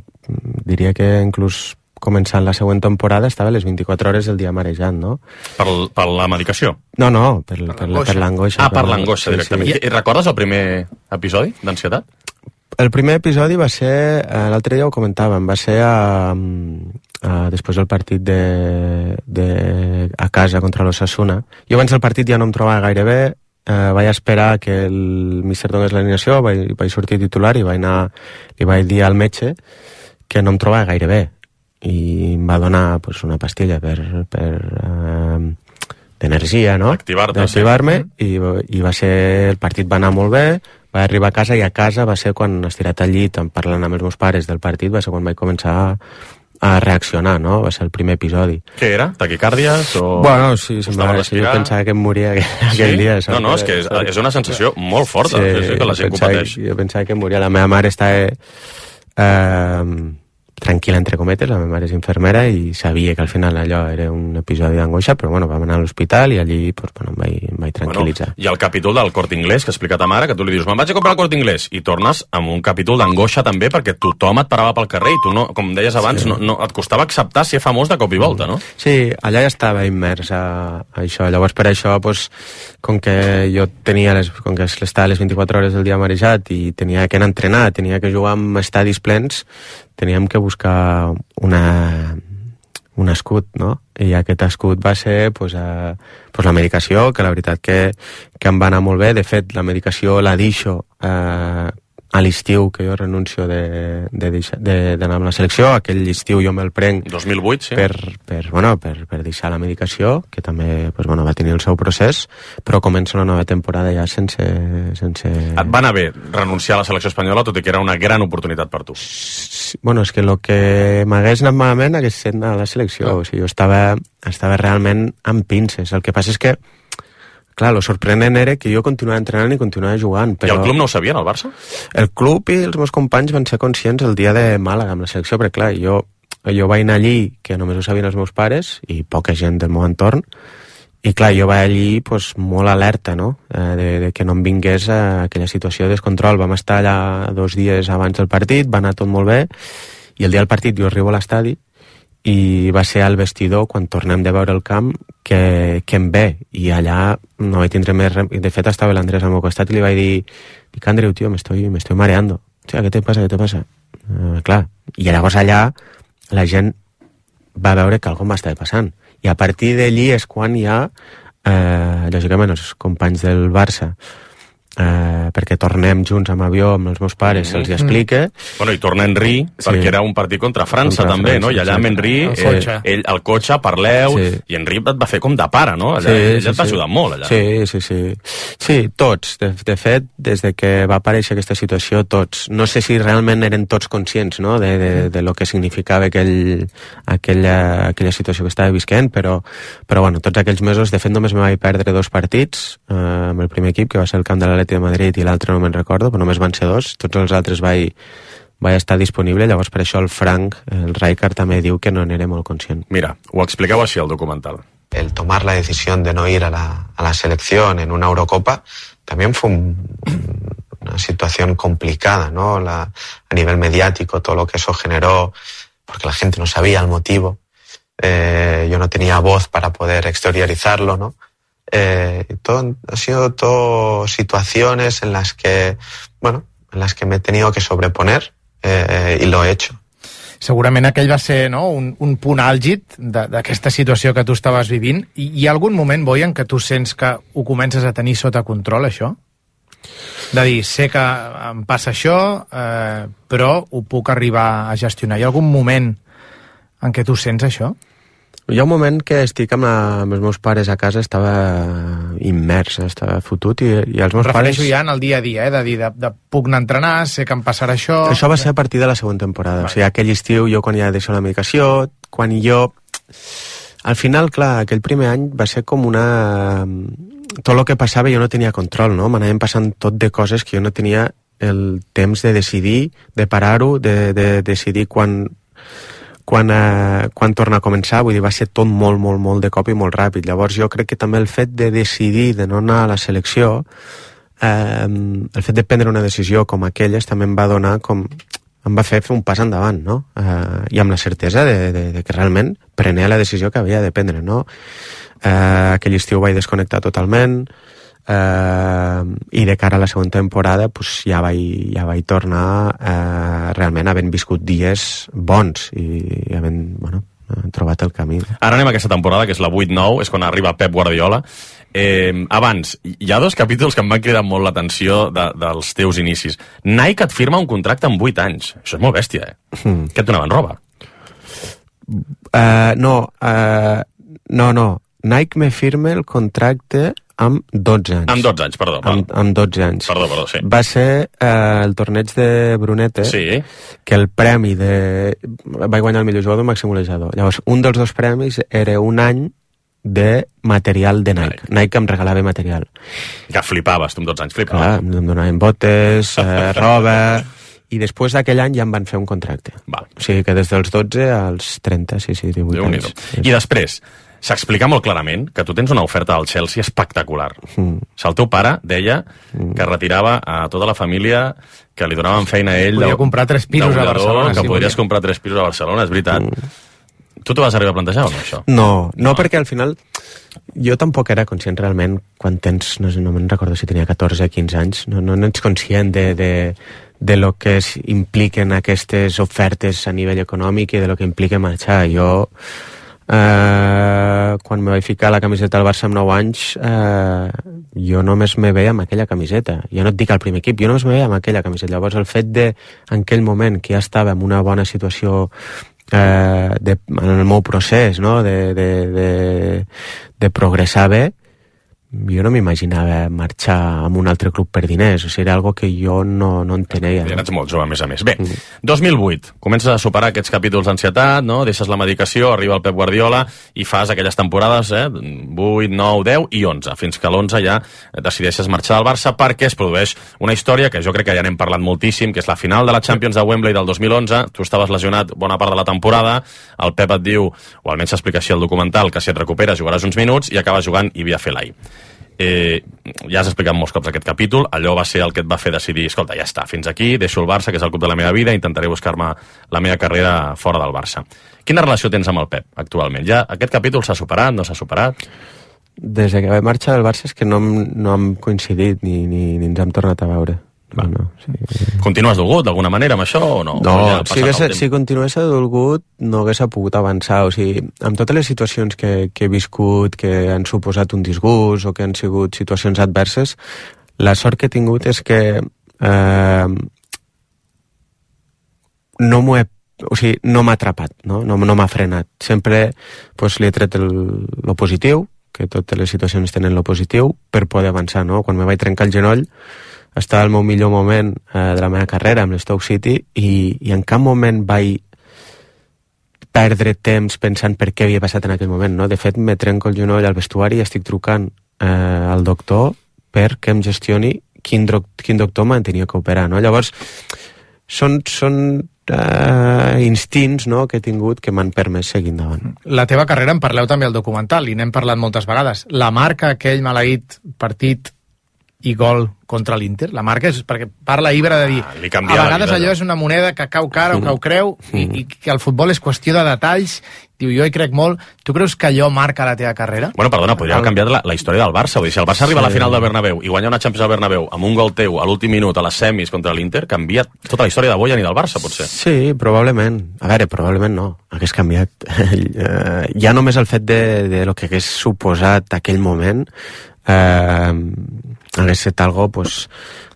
diria que inclús començant la següent temporada estava a les vint-i-quatre hores del dia marejant, no? Per, per la medicació? No, no, per, per, per l'angoixa. Ah, per l'angoixa, directament. Sí, sí. I recordes el primer episodi d'ansietat? El primer episodi va ser, eh, l'altre dia ho comentàvem, va ser a, a, després del partit de, de, a casa contra l'Osasuna. Jo abans del partit ja no em trobava gaire bé, eh, vaig esperar que el míster donés l'alineació, vaig, vaig sortir titular i vaig anar, li vaig dir al metge que no em trobava gaire bé, i em va donar pues, una pastilla per, per, eh, d'energia, no? D'activar-te, d'activar-me, sí. i, i va ser, el partit va anar molt bé, vaig arribar a casa, i a casa va ser quan, estirat al llit, parlant amb els meus pares del partit, va ser quan vaig començar a, a reaccionar, no? Va ser el primer episodi. Què era? Taquicàrdies o... Bueno, sí, semblava que jo pensava que em moria aquell, sí? aquell dia. No, no, és que és, és una sensació molt forta, sí, sí, que la gent pensava, ho pateix. Jo pensava que em moria. La meva mare estava... Eh, tranquil·la, entre cometes, la meva mare és infermera i sabia que al final allò era un episodi d'angoixa, però bueno, vam anar a l'hospital i allí pues, bueno, em, vaig, em vaig tranquil·litzar. Bueno, i el capítol del Corte Inglés que ha explicat a mare, que tu li dius, me'n vaig a comprar el Corte Inglés, i tornes amb un capítol d'angoixa també, perquè tothom et parava pel carrer i tu, no, com deies abans, sí. no, no, et costava acceptar ser famós de cop i volta, no? Sí, allà ja estava immers a, a això. Llavors per això, pues, com que jo tenia les, com que estava les vint-i-quatre hores del dia marejat i tenia que anar a entrenar, tenia que jugar amb estadis plens, teníem que buscar una, un escut, no? I aquest escut va ser pues, a, pues, la medicació, que la veritat que, que em va anar molt bé. De fet, la medicació la deixo eh, a l'estiu, que jo renuncio de, de, de, d'anar amb la selecció. Aquell estiu jo me'l prenc dos mil vuit, sí. per, per, bueno, per, per deixar la medicació, que també pues, bueno, va tenir el seu procés, però començo la nova temporada ja sense, sense... Et va anar bé renunciar a la selecció espanyola, tot i que era una gran oportunitat per tu. Bueno, és que el que m'hagués anat malament hagués estat anar a la selecció. Ah. O sigui, jo estava, estava realment amb pinces. El que passa és que clar, lo sorprenent era que jo continuava entrenant i continuava jugant. Però... I el club no ho sabien, el Barça? El club i els meus companys van ser conscients el dia de Màlaga amb la selecció, perquè clar, jo, jo vaig anar allí, que només ho sabien els meus pares i poca gent del meu entorn, i clar, jo vaig allí pues, molt alerta, no? Eh, de, de que no em vingués a aquella situació de descontrol. Vam estar allà dos dies abans del partit, va anar tot molt bé, i el dia del partit jo arribo a l'estadi, i va ser al vestidor, quan tornem de veure el camp, que, que em ve, i allà no vaig tindre més... De fet, estava l'Andrés al meu costat i li vaig dir, dic, Andreu, tio, me estoy, me estoy mareando. O sea, ¿qué te pasa, qué te pasa? Uh, clar, i llavors allà la gent va veure que alguna cosa m'estava passant. I a partir d'allí és quan hi ha, eh, lògicament, els companys del Barça, Uh, perquè tornem junts amb avió amb els meus pares, mm -hmm. se'ls explica. Bueno, i torna Henry, sí. perquè era un partit contra França contra també, França, no? I allà amb Henry, el cotxe, eh, ell, el cotxe parleu, sí. i Henry et va fer com de pare, no? Allà, sí, ell sí, et va sí. ajudar molt, allà. Sí, sí, sí. Sí, tots. De, de fet, des de que va aparèixer aquesta situació, tots. No sé si realment eren tots conscients, no?, de, de, de lo que significava aquell, aquella, aquella situació que estava visquent, però, però bueno, tots aquells mesos, de fet, només me vaig perdre dos partits eh, amb el primer equip, que va ser el camp de l'Atleti de Madrid, i l'altre no me'n recordo, però només van ser dos. Tots els altres vaig, vaig estar disponible, llavors per això el Frank, el Rijkaard, també diu que no n'era molt conscient. Mira, ho explicava així al documental. El tomar la decisión de no ir a la, a la selección en una Eurocopa también fue un, una situación complicada, ¿no? La, a nivel mediático, todo lo que eso generó, porque la gente no sabía el motivo. Eh, yo no tenía voz para poder exteriorizarlo, ¿no? Eh, todo, ha sido todo situaciones en las que, bueno, en las que me he tenido que sobreponer eh, y lo he hecho. Segurament aquell va ser, no?, un, un punt àlgid d'aquesta situació que tu estaves vivint. I hi ha algun moment, Boi, en què tu sents que ho comences a tenir sota control, això? De dir, sé que em passa això, eh, però ho puc arribar a gestionar. Hi ha algun moment en què tu sents això? Hi ha un moment que estic amb, la, amb els meus pares a casa, estava immers, estava fotut, i, i els meus pares... Refereixo ja en el dia a dia, eh? De dir, de, de, puc anar a entrenar, sé que em passarà això... Això va ser a partir de la segona temporada. Vale. O sigui, aquell estiu, jo quan ja deixo la medicació, quan jo... Al final, clar, aquell primer any va ser com una... Tot el que passava jo no tenia control, no? M'anaven passant tot de coses que jo no tenia el temps de decidir, de parar-ho, de, de decidir quan... Quan, eh, quan torna a començar, vull dir, va ser tot molt, molt, molt de cop i molt ràpid. Llavors jo crec que també el fet de decidir de no anar a la selecció, eh, el fet de prendre una decisió com aquelles també em va donar com... em va fer fer un pas endavant, no? Eh, I amb la certesa de, de, de que realment prenia la decisió que havia de prendre, no? Eh, aquell estiu vaig desconnectar totalment, Uh, i de cara a la segona temporada pues, ja, vaig, ja vaig tornar uh, realment havent viscut dies bons i, i havent bueno, trobat el camí. Ara anem a aquesta temporada, que és la vuit nou, és quan arriba Pep Guardiola. Eh, abans, hi ha dos capítols que em van cridar molt l'atenció de, dels teus inicis. Nike et firma un contracte amb vuit anys. Això és molt bèstia, eh? Mm. Què et donaven, roba? Uh, no, uh, no, no. Nike me firma el contracte amb dotze anys. Amb dotze anys, perdó. Amb, amb dotze anys. Perdó, perdó, sí. Va ser eh, el torneig de Brunete, sí. que el premi de... va guanyar el millor jugador màxim golejador. Llavors, un dels dos premis era un any de material de Nike. Nike, Nike em regalava material. Que flipaves, tu amb dotze anys, flipaves. Clar, em donaven botes, eh, roba... I després d'aquell any ja em van fer un contracte. Va. O sigui que des dels dotze als trenta, sí, sí, divuit anys. I després... s'explica molt clarament que tu tens una oferta del Chelsea espectacular. Mm. El teu pare deia mm. que retirava a tota la família, que li donaven feina a ell... Podia de, comprar tres pisos a Barcelona. Que sí, podries podia. comprar tres pisos a Barcelona, és veritat. Mm. Tu t'ho vas arribar a plantejar o no, això? No, no, no, perquè al final jo tampoc era conscient realment quan tens, no sé, no me'n recordo si tenia catorze o quinze anys, no, no, no ets conscient de, de, de lo que es, impliquen aquestes ofertes a nivell econòmic i de lo que implica marxar. Jo... Uh, quan me vaig ficar la camiseta del Barça amb nou anys, uh, jo només me veia amb aquella camiseta. Jo no et dic al primer equip, jo només me veia amb aquella camiseta. Llavors el fet de, en aquell moment que ja estava en una bona situació uh, de, en el meu procés, no? de, de, de, de progressar bé, jo no m'imaginava marxar amb un altre club per diners. O sigui, era algo que jo no, no entenia. Ja ets molt jove, a més a més. Bé, mm. dos mil vuit, comences a superar aquests capítols d'ansietat, no? Deixes la medicació, arriba el Pep Guardiola i fas aquelles temporades, eh? vuit, nou, deu i onze, fins que a l'onze ja decideixes marxar del Barça perquè es produeix una història que jo crec que ja n'hem parlat moltíssim, que és la final de la Champions de Wembley del dos mil onze. Tu estaves lesionat bona part de la temporada, el Pep et diu, o almenys s'explica així al documental, que si et recuperes jugaràs uns minuts i acabes jugant i Via Felai. Eh, ja has explicat molts cops aquest capítol, allò va ser el que et va fer decidir, escolta, ja està, fins aquí, deixo el Barça, que és el club de la meva vida, intentaré buscar-me la meva carrera fora del Barça. Quina relació tens amb el Pep actualment? Ja aquest capítol s'ha superat, no s'ha superat? Des que vaig marxar del Barça és que no, no hem coincidit ni, ni, ni ens hem tornat a veure. No, no, sí. Continues dolgut d'alguna manera amb això o no? No, ja si, hagués, si continués dolgut no hagués pogut avançar. O sigui, amb totes les situacions que, que he viscut, que han suposat un disgust o que han sigut situacions adverses, la sort que he tingut és que eh, no m'ho he o sigui, no m'ha atrapat, no, no, no m'ha frenat. Sempre pues, li he tret el, lo positiu, que totes les situacions tenen lo positiu, per poder avançar, no? Quan me vaig trencar el genoll estava al meu millor moment eh, de la meva carrera amb l'Stoke City i, i en cap moment vaig perdre temps pensant per què havia passat en aquell moment, no? De fet, me trenco el genoll al vestuari i estic trucant eh, al doctor perquè em gestioni quin, quin doctor me'n tenia que operar, no? Llavors, són, són uh, instints, no?, que he tingut que m'han permès seguir endavant. La teva carrera en parleu també al documental i n'hem parlat moltes vegades. La marca aquell maleït partit i gol contra l'Inter, la marca és perquè parla Ibra de dir, ah, a vegades allò és una moneda que cau cara o cau creu i, i que el futbol és qüestió de detalls. Diu, jo hi crec molt. Tu creus que allò marca la teva carrera? Bueno, perdona, podria haver canviat la, la història del Barça. Vull dir, si el Barça arriba sí. a la final del Bernabéu i guanya una Champions al Bernabéu amb un gol teu a l'últim minut a les semis contra l'Inter, canvia tota la història de Bojan i del Barça, potser. Sí, probablement. A veure, probablement no. Hagués canviat. Ja només el fet de, de lo que hagués suposat aquell moment eh, hagués estat algo, pues,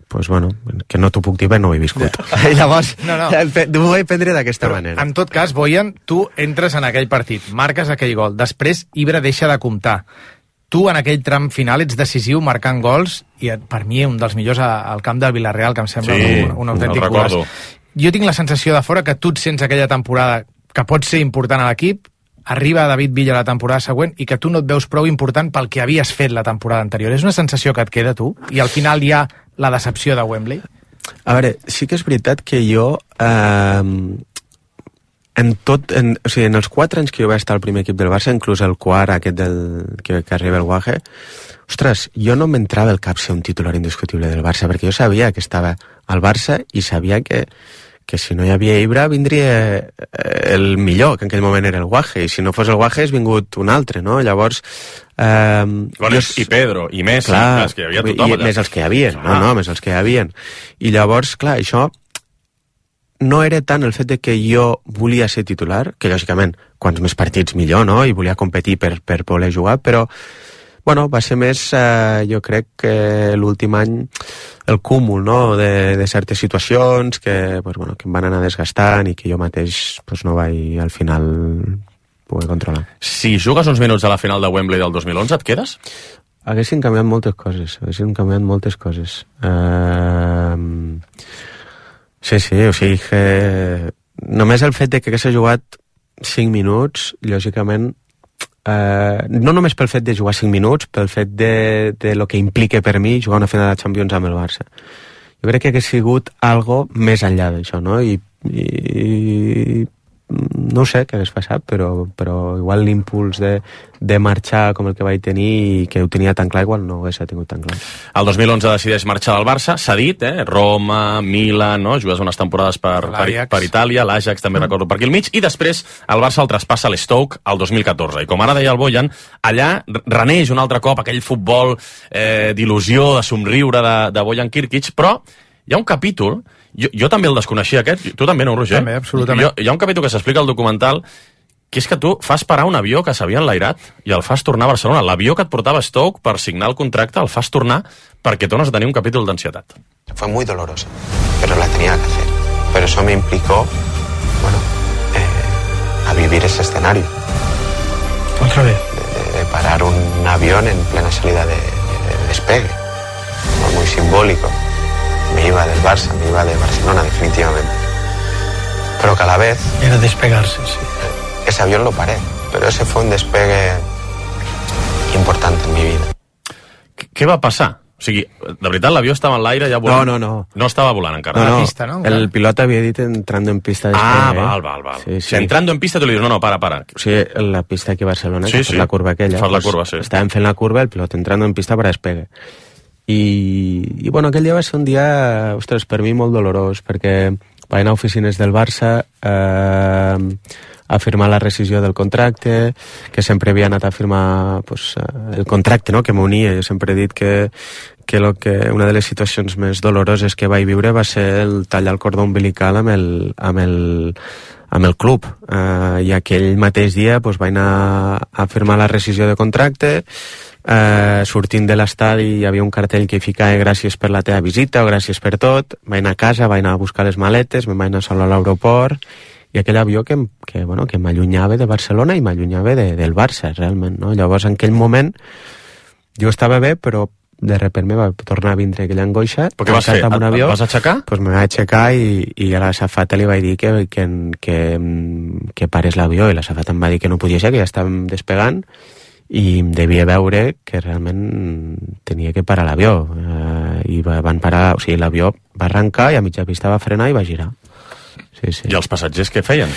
pues bueno, que no t'ho puc dir, no ho he viscut. Yeah. Llavors, no, no. M'ho vaig prendre d'aquesta manera. En tot cas, Bojan, tu entres en aquell partit, marques aquell gol, després Ibra deixa de comptar. Tu, en aquell tram final, ets decisiu marcant gols, i per mi un dels millors al camp del Villarreal, que em sembla sí, un, un autèntic golaç. Jo tinc la sensació de fora que tu et sents aquella temporada que pot ser important a l'equip, arriba David Villa la temporada següent i que tu no et veus prou important pel que havies fet la temporada anterior. És una sensació que et queda, tu? I al final hi ha la decepció de Wembley? A veure, sí que és veritat que jo eh, en tot, en, o sigui, en els quatre anys que jo vaig estar al primer equip del Barça, inclús el quart aquest del, que, que arriba el Guaje, ostres, jo no m'entrava al cap ser un titular indiscutible del Barça, perquè jo sabia que estava al Barça i sabia que que si no hi havia Ibra vindria el millor, que en aquell moment era el Guaje, i si no fos el Guaje és vingut un altre, no? Llavors... Eh, bueno, jo... I Pedro, i Messi, clar, més que hi havia tothom allà. Més els que hi havia, no, no, més els que hi havia. I llavors, clar, això no era tant el fet de que jo volia ser titular, que lògicament, quants més partits millor, no? I volia competir per, per poder jugar, però bueno, va ser més, eh, jo crec que l'últim any el cúmul, no?, de, de certes situacions que, pues, bueno, que em van anar desgastant i que jo mateix pues, no vaig al final poder controlar. Si jugues uns minuts a la final de Wembley del dos mil onze, et quedes? Haguessin canviat moltes coses, haguessin canviat moltes coses. Uh, sí, sí, o sigui que només el fet de que hagués jugat cinc minuts, lògicament, uh, no només pel fet de jugar cinc minuts, pel fet de, de lo que implica per mi jugar una final de Champions amb el Barça. Jo crec que hagués sigut algo més enllà d'això, no? I, i no sé què hagués passat, però, però igual l'impuls de, de marxar com el que vaig tenir i que ho tenia tan clar, igual no ho hagués tingut tan clar. El dos mil onze decideix marxar del Barça, s'ha dit, eh? Roma, Milan, no? Jugues unes temporades per, per, per Itàlia, l'Ajax també mm. recordo per aquí al mig, i després el Barça el traspassa a l'Stoke el dos mil catorze, i com ara deia el Bojan, allà reneix un altre cop aquell futbol eh, d'il·lusió, de somriure de, de Bojan Kirkic, però hi ha un capítol, jo, jo també el desconeixia aquest, tu també no, Roger? També, absolutament. Jo, hi ha un capítol que s'explica al documental, que és que tu fas parar un avió que s'havia enlairat i el fas tornar a Barcelona. L'avió que et portava a Stoke per signar el contracte el fas tornar perquè tornes a tenir un capítol d'ansietat. Fue muy dolorosa, pero la tenía que hacer. Pero eso me implicó, bueno, eh, a vivir ese escenario. Otra vez. De, de parar un avión en plena salida de, de despegue. Fue muy simbólico. Me iba del Barça, me iba de Barcelona, definitivamente. Pero que a la vez... Era despegarse, sí. Ese avión lo paré, pero ese fue un despegue importante en mi vida. Què va passar? O sigui, de veritat l'avió estava en l'aire ja volant? No, no, no. No estava volant encara. No, no. La pista, ¿no? El pilot havia dit entrando en pista de Ah, despegue. val, val, val. Sí, sí. Si entrando en pista tu li dius, no, no, para, para. O sigui, la pista aquí a Barcelona, Sí, que sí. és la curva aquella. Fas la pues, curva, sí. Estàvem fent la curva, el pilot entrando en pista per despegue. I, i bueno, aquell dia va ser un dia, ostres, per mi molt dolorós, perquè vaig anar a oficines del Barça eh, a firmar la rescisió del contracte, que sempre havia anat a firmar pues, el contracte, no?, que m'unia. Jo sempre he dit que, que, lo que una de les situacions més doloroses que vaig viure va ser el tallar el cordó umbilical amb el, amb el, amb el club. Eh, I aquell mateix dia pues, vaig anar a firmar la rescisió de contracte. Uh, sortint de l'estadi hi havia un cartell que hi ficava gràcies per la teva visita o gràcies per tot. Vaig anar a casa, vaig anar a buscar les maletes, me'n vaig anar solo a l'aeroport, i aquell avió que, que, bueno, que m'allunyava de Barcelona i m'allunyava de, del Barça, realment, no? Llavors, en aquell moment, jo estava bé, però de repente me va tornar a vindre aquella angoixa. Però què vas fer? Un avió, et vas aixecar? Pues me vaig aixecar i, i a la safata li vaig dir que, que, que, que parés l'avió, i la safata em va dir que no podia ser, que ja estàvem despegant, i em devia veure que realment tenia que parar l'avió. Eh, i van parar, o sigui, l'avió va arrencar i a mitja pista va frenar i va girar. Sí, sí. I els passatgers què feien?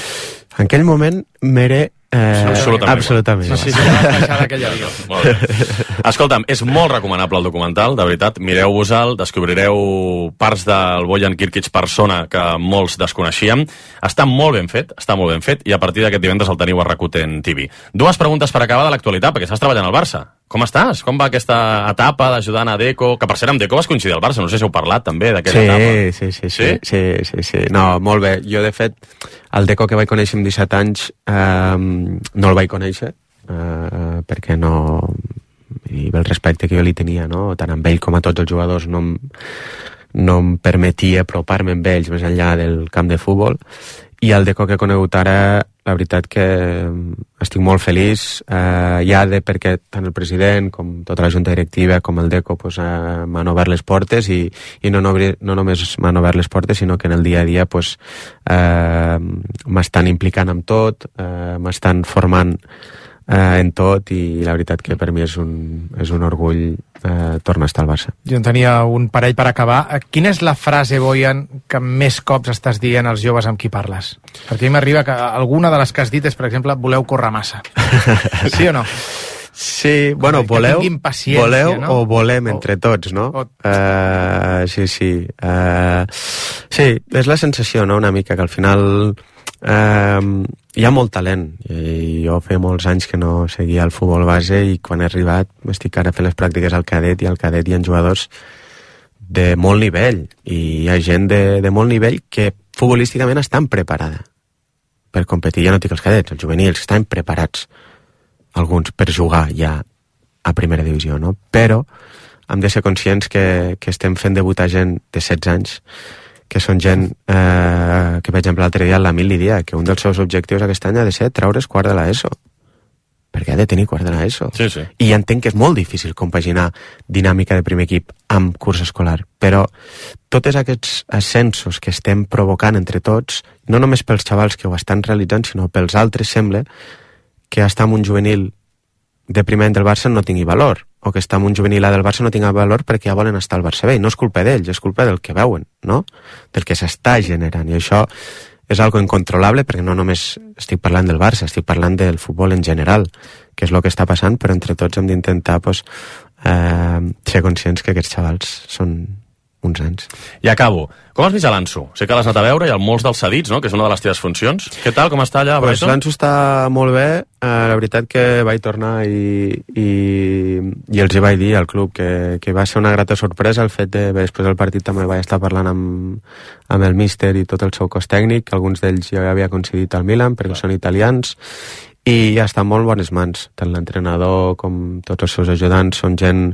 En aquell moment m'era Eh, absolutament. absolutament. No sé si va baixar d'aquell avió. Molt bé. Escolta'm, és molt recomanable el documental, de veritat. Mireu-vos-el, descobrireu parts del Bojan Kirkic persona que molts desconeixíem. Està molt ben fet, està molt ben fet, i a partir d'aquest divendres el teniu a Rakuten T V. Dues preguntes per acabar de l'actualitat, perquè estàs treballant al Barça. Com estàs? Com va aquesta etapa d'ajudant a Deco? Que per cert, amb Deco vas coincidir al Barça, no sé si heu parlat també d'aquella sí, etapa. Sí, sí, sí, sí, sí, sí. No, molt bé. Jo, de fet, el Deco que vaig conèixer amb disset anys eh, no el vaig conèixer, eh, perquè no... i el respecte que jo li tenia, no? Tant amb ell com a tots els jugadors, no em, no em permetia apropar-me amb ells més enllà del camp de futbol. I el Deco que he conegut ara, la veritat que estic molt feliç, eh, ja de perquè tant el president com tota la junta directiva com el Deco pues, eh, m'han obert les portes, i, i no, no, no només m'han obert les portes, sinó que en el dia a dia pues, eh, m'estan implicant amb tot, eh, m'estan formant eh, en tot, i la veritat que per mi és un, és un orgull eh, tornar a estar al Barça. Jo en tenia un parell per acabar. Quina és la frase, Bojan, que més cops estàs dient als joves amb qui parles? Perquè a mi m'arriba que alguna de les que has dit és, per exemple, voleu córrer massa. Sí o no? Sí, bueno, voleu, voleu no? o volem entre tots, no? O... Uh, sí, sí. Uh, sí, és la sensació, no?, una mica, que al final uh, hi ha molt talent. I jo feia molts anys que no seguia el futbol base, i quan he arribat estic ara fent les pràctiques al cadet, i al cadet hi ha jugadors de molt nivell, i hi ha gent de, de molt nivell que futbolísticament estan preparada per competir. Ja no dic els cadets, els juvenils estan preparats, alguns per jugar ja a primera divisió, no? Però hem de ser conscients que, que estem fent debutar gent de setze anys, que són gent eh, que, per exemple, l'altre dia la Mil li dia que un dels seus objectius aquest any ha de ser treure's quart de l'ESO. perquè ha de tenir quart de l'ESO. Sí, sí. I entenc que és molt difícil compaginar dinàmica de primer equip amb curs escolar, però tots aquests ascensos que estem provocant entre tots, no només pels xavals que ho estan realitzant, sinó pels altres, sembla que estar en un juvenil de primer any del Barça no tingui valor, o que estar en un juvenil A del Barça no tingui valor perquè ja volen estar al Barça B. No és culpa d'ells, és culpa del que veuen, no? Del que s'està generant, i això és algo incontrolable, perquè no només estic parlant del Barça, estic parlant del futbol en general, que és el que està passant, però entre tots hem d'intentar pues, eh, ser conscients que aquests xavals són uns anys. I acabo. Com has vist a l'Anso? Sé que l'has anat a veure, hi ha molts dels cedits, no?, que és una de les teves funcions. Què tal, com està allà a Brighton? Pues l'Anso està molt bé. Eh, la veritat que vaig tornar i, i, i els hi vaig dir al club que, que va ser una grata sorpresa el fet de, després del partit també vaig estar parlant amb, amb el míster i tot el seu cos tècnic, alguns d'ells ja havia coincidit al Milan perquè són italians, i ja està en molt bones mans. Tant l'entrenador com tots els seus ajudants són gent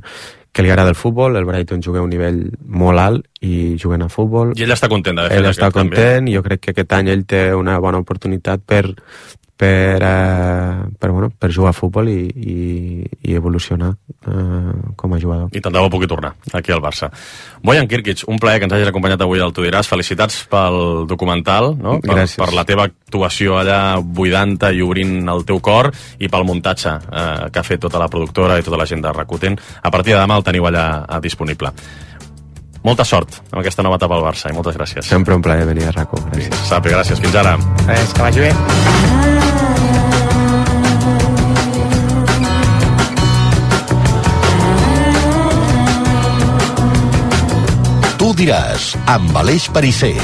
que li agrada el futbol. El Brighton juga a un nivell molt alt i juguen a futbol. I ell està content d'haver fet ell aquest està content i jo crec que aquest any ell té una bona oportunitat per per, eh, per, bueno, per jugar a futbol i, i, i evolucionar eh, com a jugador. I tant de bo pugui tornar aquí al Barça. Bojan Kirkic, un plaer que ens hagis acompanyat avui al Tu diràs. Felicitats pel documental, no? Per, per la teva actuació allà buidant-te i obrint el teu cor, i pel muntatge eh, que ha fet tota la productora i tota la gent de Rakuten. A partir de demà el teniu allà eh, disponible. Molta sort amb aquesta nova etapa al Barça i moltes gràcies. Sempre un plaer venir a Raco. Gràcies. Sapi, gràcies. Fins ara. Res, que vagi bé. Tu diràs, amb Aleix Perisser.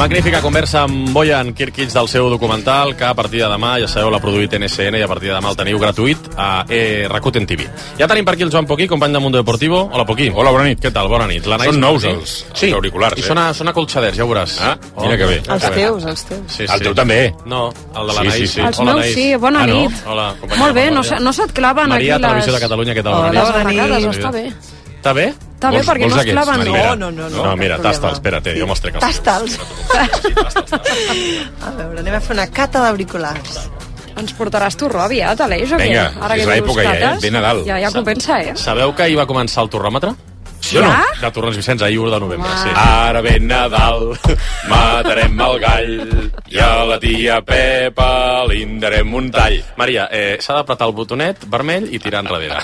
Magnífica conversa amb Bojan Kirkic del seu documental, que a partir de demà, ja sabeu, l'ha produït N S N i a partir de demà el teniu gratuït a eh, Rakuten T V. Ja tenim per aquí el Joan Poquí, company de Mundo Deportivo. Hola, Poquí. Hola, bona nit. Què tal? Bona nit. Són nous els, sí, els auriculars, i eh? sona, sona colxaders, ja ho veuràs. Ah, mira que bé. Els teus, els teus. Sí, sí. El teu també. No, el de l'Anaïs. Sí, sí, sí. Els meus sí, bona ah, no? nit. Hola, companya. Molt bé, no, se, no se't claven Maria, aquí les... Televisió de Catalunya, què tal? Hola, Bona bona nit. nit. Està bé. Està bé? Està bé, perquè no es claven. No, no, no. No, mira, tasta'ls, espera't, jo mos trec els Tasta'ls. A veure, anem a fer una cata d'auriculars. Ens portaràs torró aviat, Aleix, o què? Vinga, Ara és que l'època ja, eh? Ve Nadal. Ja, ja compensa, eh? Sabeu que ahir va començar el torròmetre? Sí o no? De Torrents Vicenç, ahir u de novembre, sí. Ara ve Nadal, matarem el gall, i a la tia Pepa li darem un tall. Maria, eh, s'ha d'apretar el botonet vermell i tirar enrere.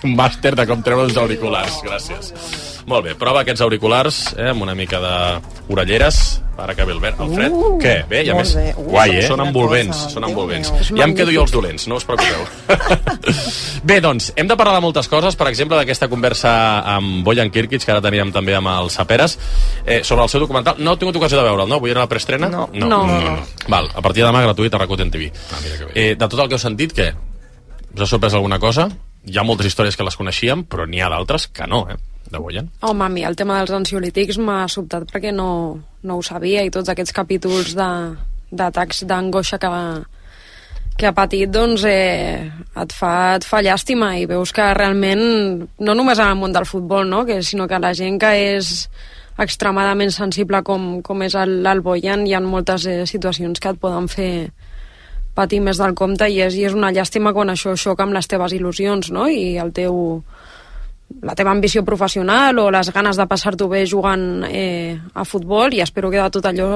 Un màster de com treure els auriculars, gràcies. Molt bé, prova aquests auriculars eh, amb una mica d'orelleres. Ara que ve el verd, el fred. Uh, Què? Bé, i a més, uh, guai, eh? Són envolvents, són envolvents. Ja em quedo jo els dolents, no us preocupeu. Bé, doncs, hem de parlar de moltes coses, per exemple, d'aquesta conversa amb Bojan Kirkic, que ara teníem també amb els Saperes, eh, sobre el seu documental. No he tingut ocasió de veure'l, no? Vull anar a la preestrena? No. No. no. no, no. Val, a partir de demà gratuït a Rakuten T V. Ah, mira que bé. Eh, de tot el que heu sentit, què? Us ha sorprès alguna cosa? Hi ha moltes històries que les coneixíem, però n'hi ha d'altres que no, eh? De Bojan. Home, a mi el tema dels ansiolítics m'ha sobtat perquè no, no ho sabia, i tots aquests capítols d'atacs d'angoixa que, va, que ha patit, doncs eh, et, fa, et fa llàstima, i veus que realment, no només en el món del futbol, no? que, sinó que la gent que és extremadament sensible com, com és el, el Bojan, hi ha moltes eh, situacions que et poden fer patir més del compte, i és, i és una llàstima quan això xoca amb les teves il·lusions, no? I el teu, la teva ambició professional o les ganes de passar-t'ho bé jugant eh, a futbol, i espero que de tot allò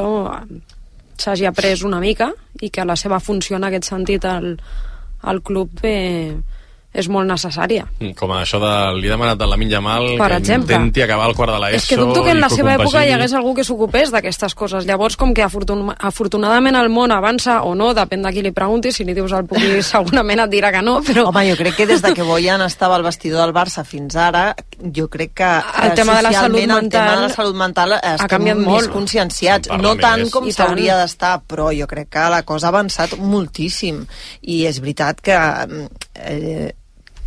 s'hagi après una mica i que la seva funció en aquest sentit al, al club eh, és molt necessària. Com això de... Li he demanat a Lamine Yamal per que exemple, intenti acabar el quart de l'ESO. És que dubto que en la seva compagini... època hi hagués algú que s'ocupés d'aquestes coses. Llavors, com que afortun... afortunadament el món avança o no, depèn de qui li pregunti, si li dius al Puigui segurament et dirà que no, però... Home, jo crec que des de que Bojan estava al vestidor del Barça fins ara, jo crec que el tema de la salut mental, el tema de la salut mental ha canviat molt. Més conscienciats, no tant més. Com s'hauria d'estar, però jo crec que la cosa ha avançat moltíssim, i és veritat que... Eh,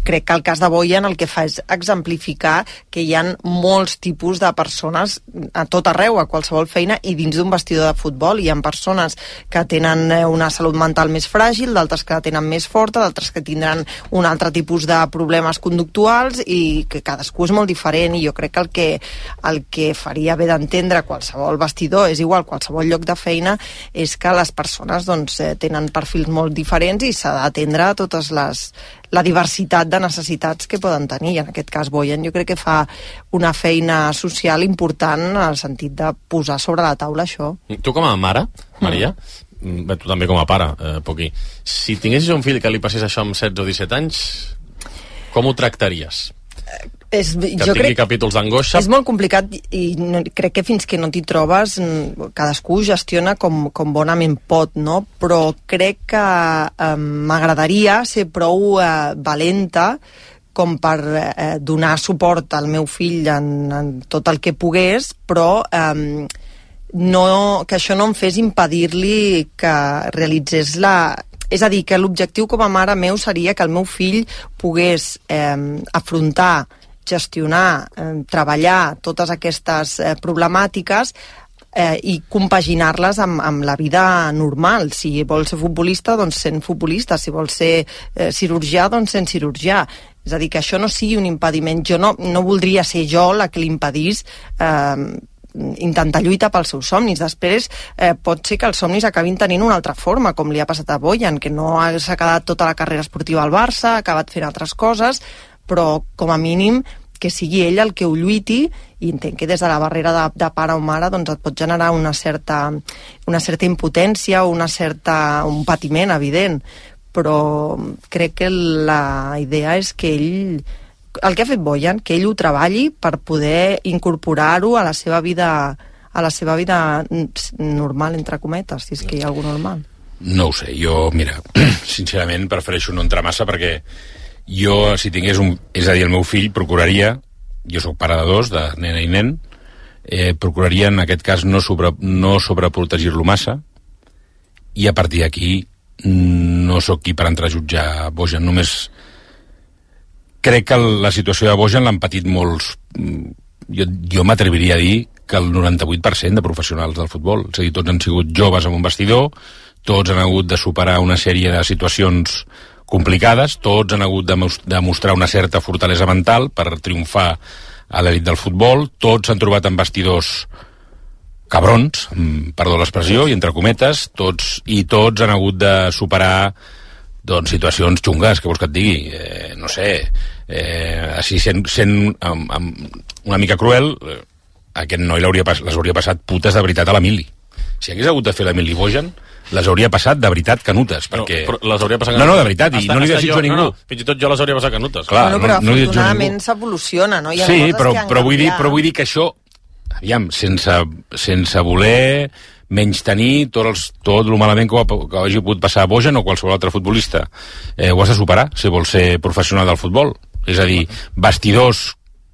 crec que el cas de Bojan el que fa és exemplificar que hi ha molts tipus de persones a tot arreu, a qualsevol feina, i dins d'un vestidor de futbol hi ha persones que tenen una salut mental més fràgil, d'altres que la tenen més forta, d'altres que tindran un altre tipus de problemes conductuals, i que cadascú és molt diferent, i jo crec que el que, el que faria bé d'entendre qualsevol vestidor, és igual, qualsevol lloc de feina, és que les persones doncs, tenen perfils molt diferents i s'ha d'atendre a totes les la diversitat de necessitats que poden tenir. I en aquest cas Bojan jo crec que fa una feina social important en el sentit de posar sobre la taula això. Tu com a mare, Maria, mm. bé, tu també com a pare, eh, Poquí, si tinguessis un fill que li passés això amb setze o disset anys, com ho tractaries? És, que jo tingui crec, capítols d'angoixa? És molt complicat i no, crec que fins que no t'hi trobes cadascú gestiona com, com bonament pot, no? Però crec que eh, m'agradaria ser prou eh, valenta com per eh, donar suport al meu fill en, en tot el que pogués, però eh, no, que això no em fes impedir-li que realitzés la... És a dir, que l'objectiu com a mare meu seria que el meu fill pogués eh, afrontar, gestionar, eh, treballar totes aquestes eh, problemàtiques eh, i compaginar-les amb, amb la vida normal. Si vol ser futbolista, doncs sent futbolista. Si vol ser eh, cirurgià, doncs sent cirurgià. És a dir, que això no sigui un impediment. Jo no, no voldria ser jo la que li impedís eh, intentar lluitar pels seus somnis. Després eh, pot ser que els somnis acabin tenint una altra forma, com li ha passat a Bojan, que no s'ha quedat tota la carrera esportiva al Barça, ha acabat fent altres coses, però com a mínim que sigui ell el que ho lluiti, i entenc que des de la barrera de, de pare o mare doncs et pot generar una certa, una certa impotència o una certa, un patiment evident, però crec que la idea és que ell, el que ha fet Bojan, que ell ho treballi per poder incorporar-ho a la seva vida, a la seva vida normal, entre cometes, si és que hi ha alguna normal. No ho sé, jo, mira, sincerament prefereixo no entrar massa perquè jo, si tingués un... És a dir, el meu fill procuraria, jo sóc pare de dos, de nena i nen, eh, procuraria en aquest cas no, sobre, no sobreprotegir-lo massa, i a partir d'aquí no sóc qui per entrar a jutjar Bojan, només crec que la situació de Bojan l'han patit molts... Jo, jo m'atreviria a dir que el noranta-vuit per cent de professionals del futbol, és a dir, tots han sigut joves en un vestidor, tots han hagut de superar una sèrie de situacions complicades, tots han hagut de demostrar una certa fortalesa mental per triomfar a l'elit del futbol, tots s'han trobat en vestidors cabrons, perdó l'expressió, i entre cometes, tots, i tots han hagut de superar doncs, situacions xungues, que vols que et digui, eh, no sé, eh, així sent, sent amb, amb una mica cruel, eh, aquest noi les hauria passat putes de veritat a l'Emili. Si hagués hagut de fer l'Emili Bojan, les hauria passat de veritat canutes, perquè... No, les hauria passat canutes. No, no, de veritat, i no li desitjo a ningú. No, no, fins i tot jo les hauria passat canutes. Clar, bueno, però no, no afortunadament s'evoluciona, no? Hi ha sí, coses però, que han però, vull dir, canviat. però vull dir que això, aviam, sense, sense voler menys tenir tot, els, tot el malament que, ho, que hagi pogut passar a Bojan o qualsevol altre futbolista, eh, ho has de superar si vols ser professional del futbol. És a dir, vestidors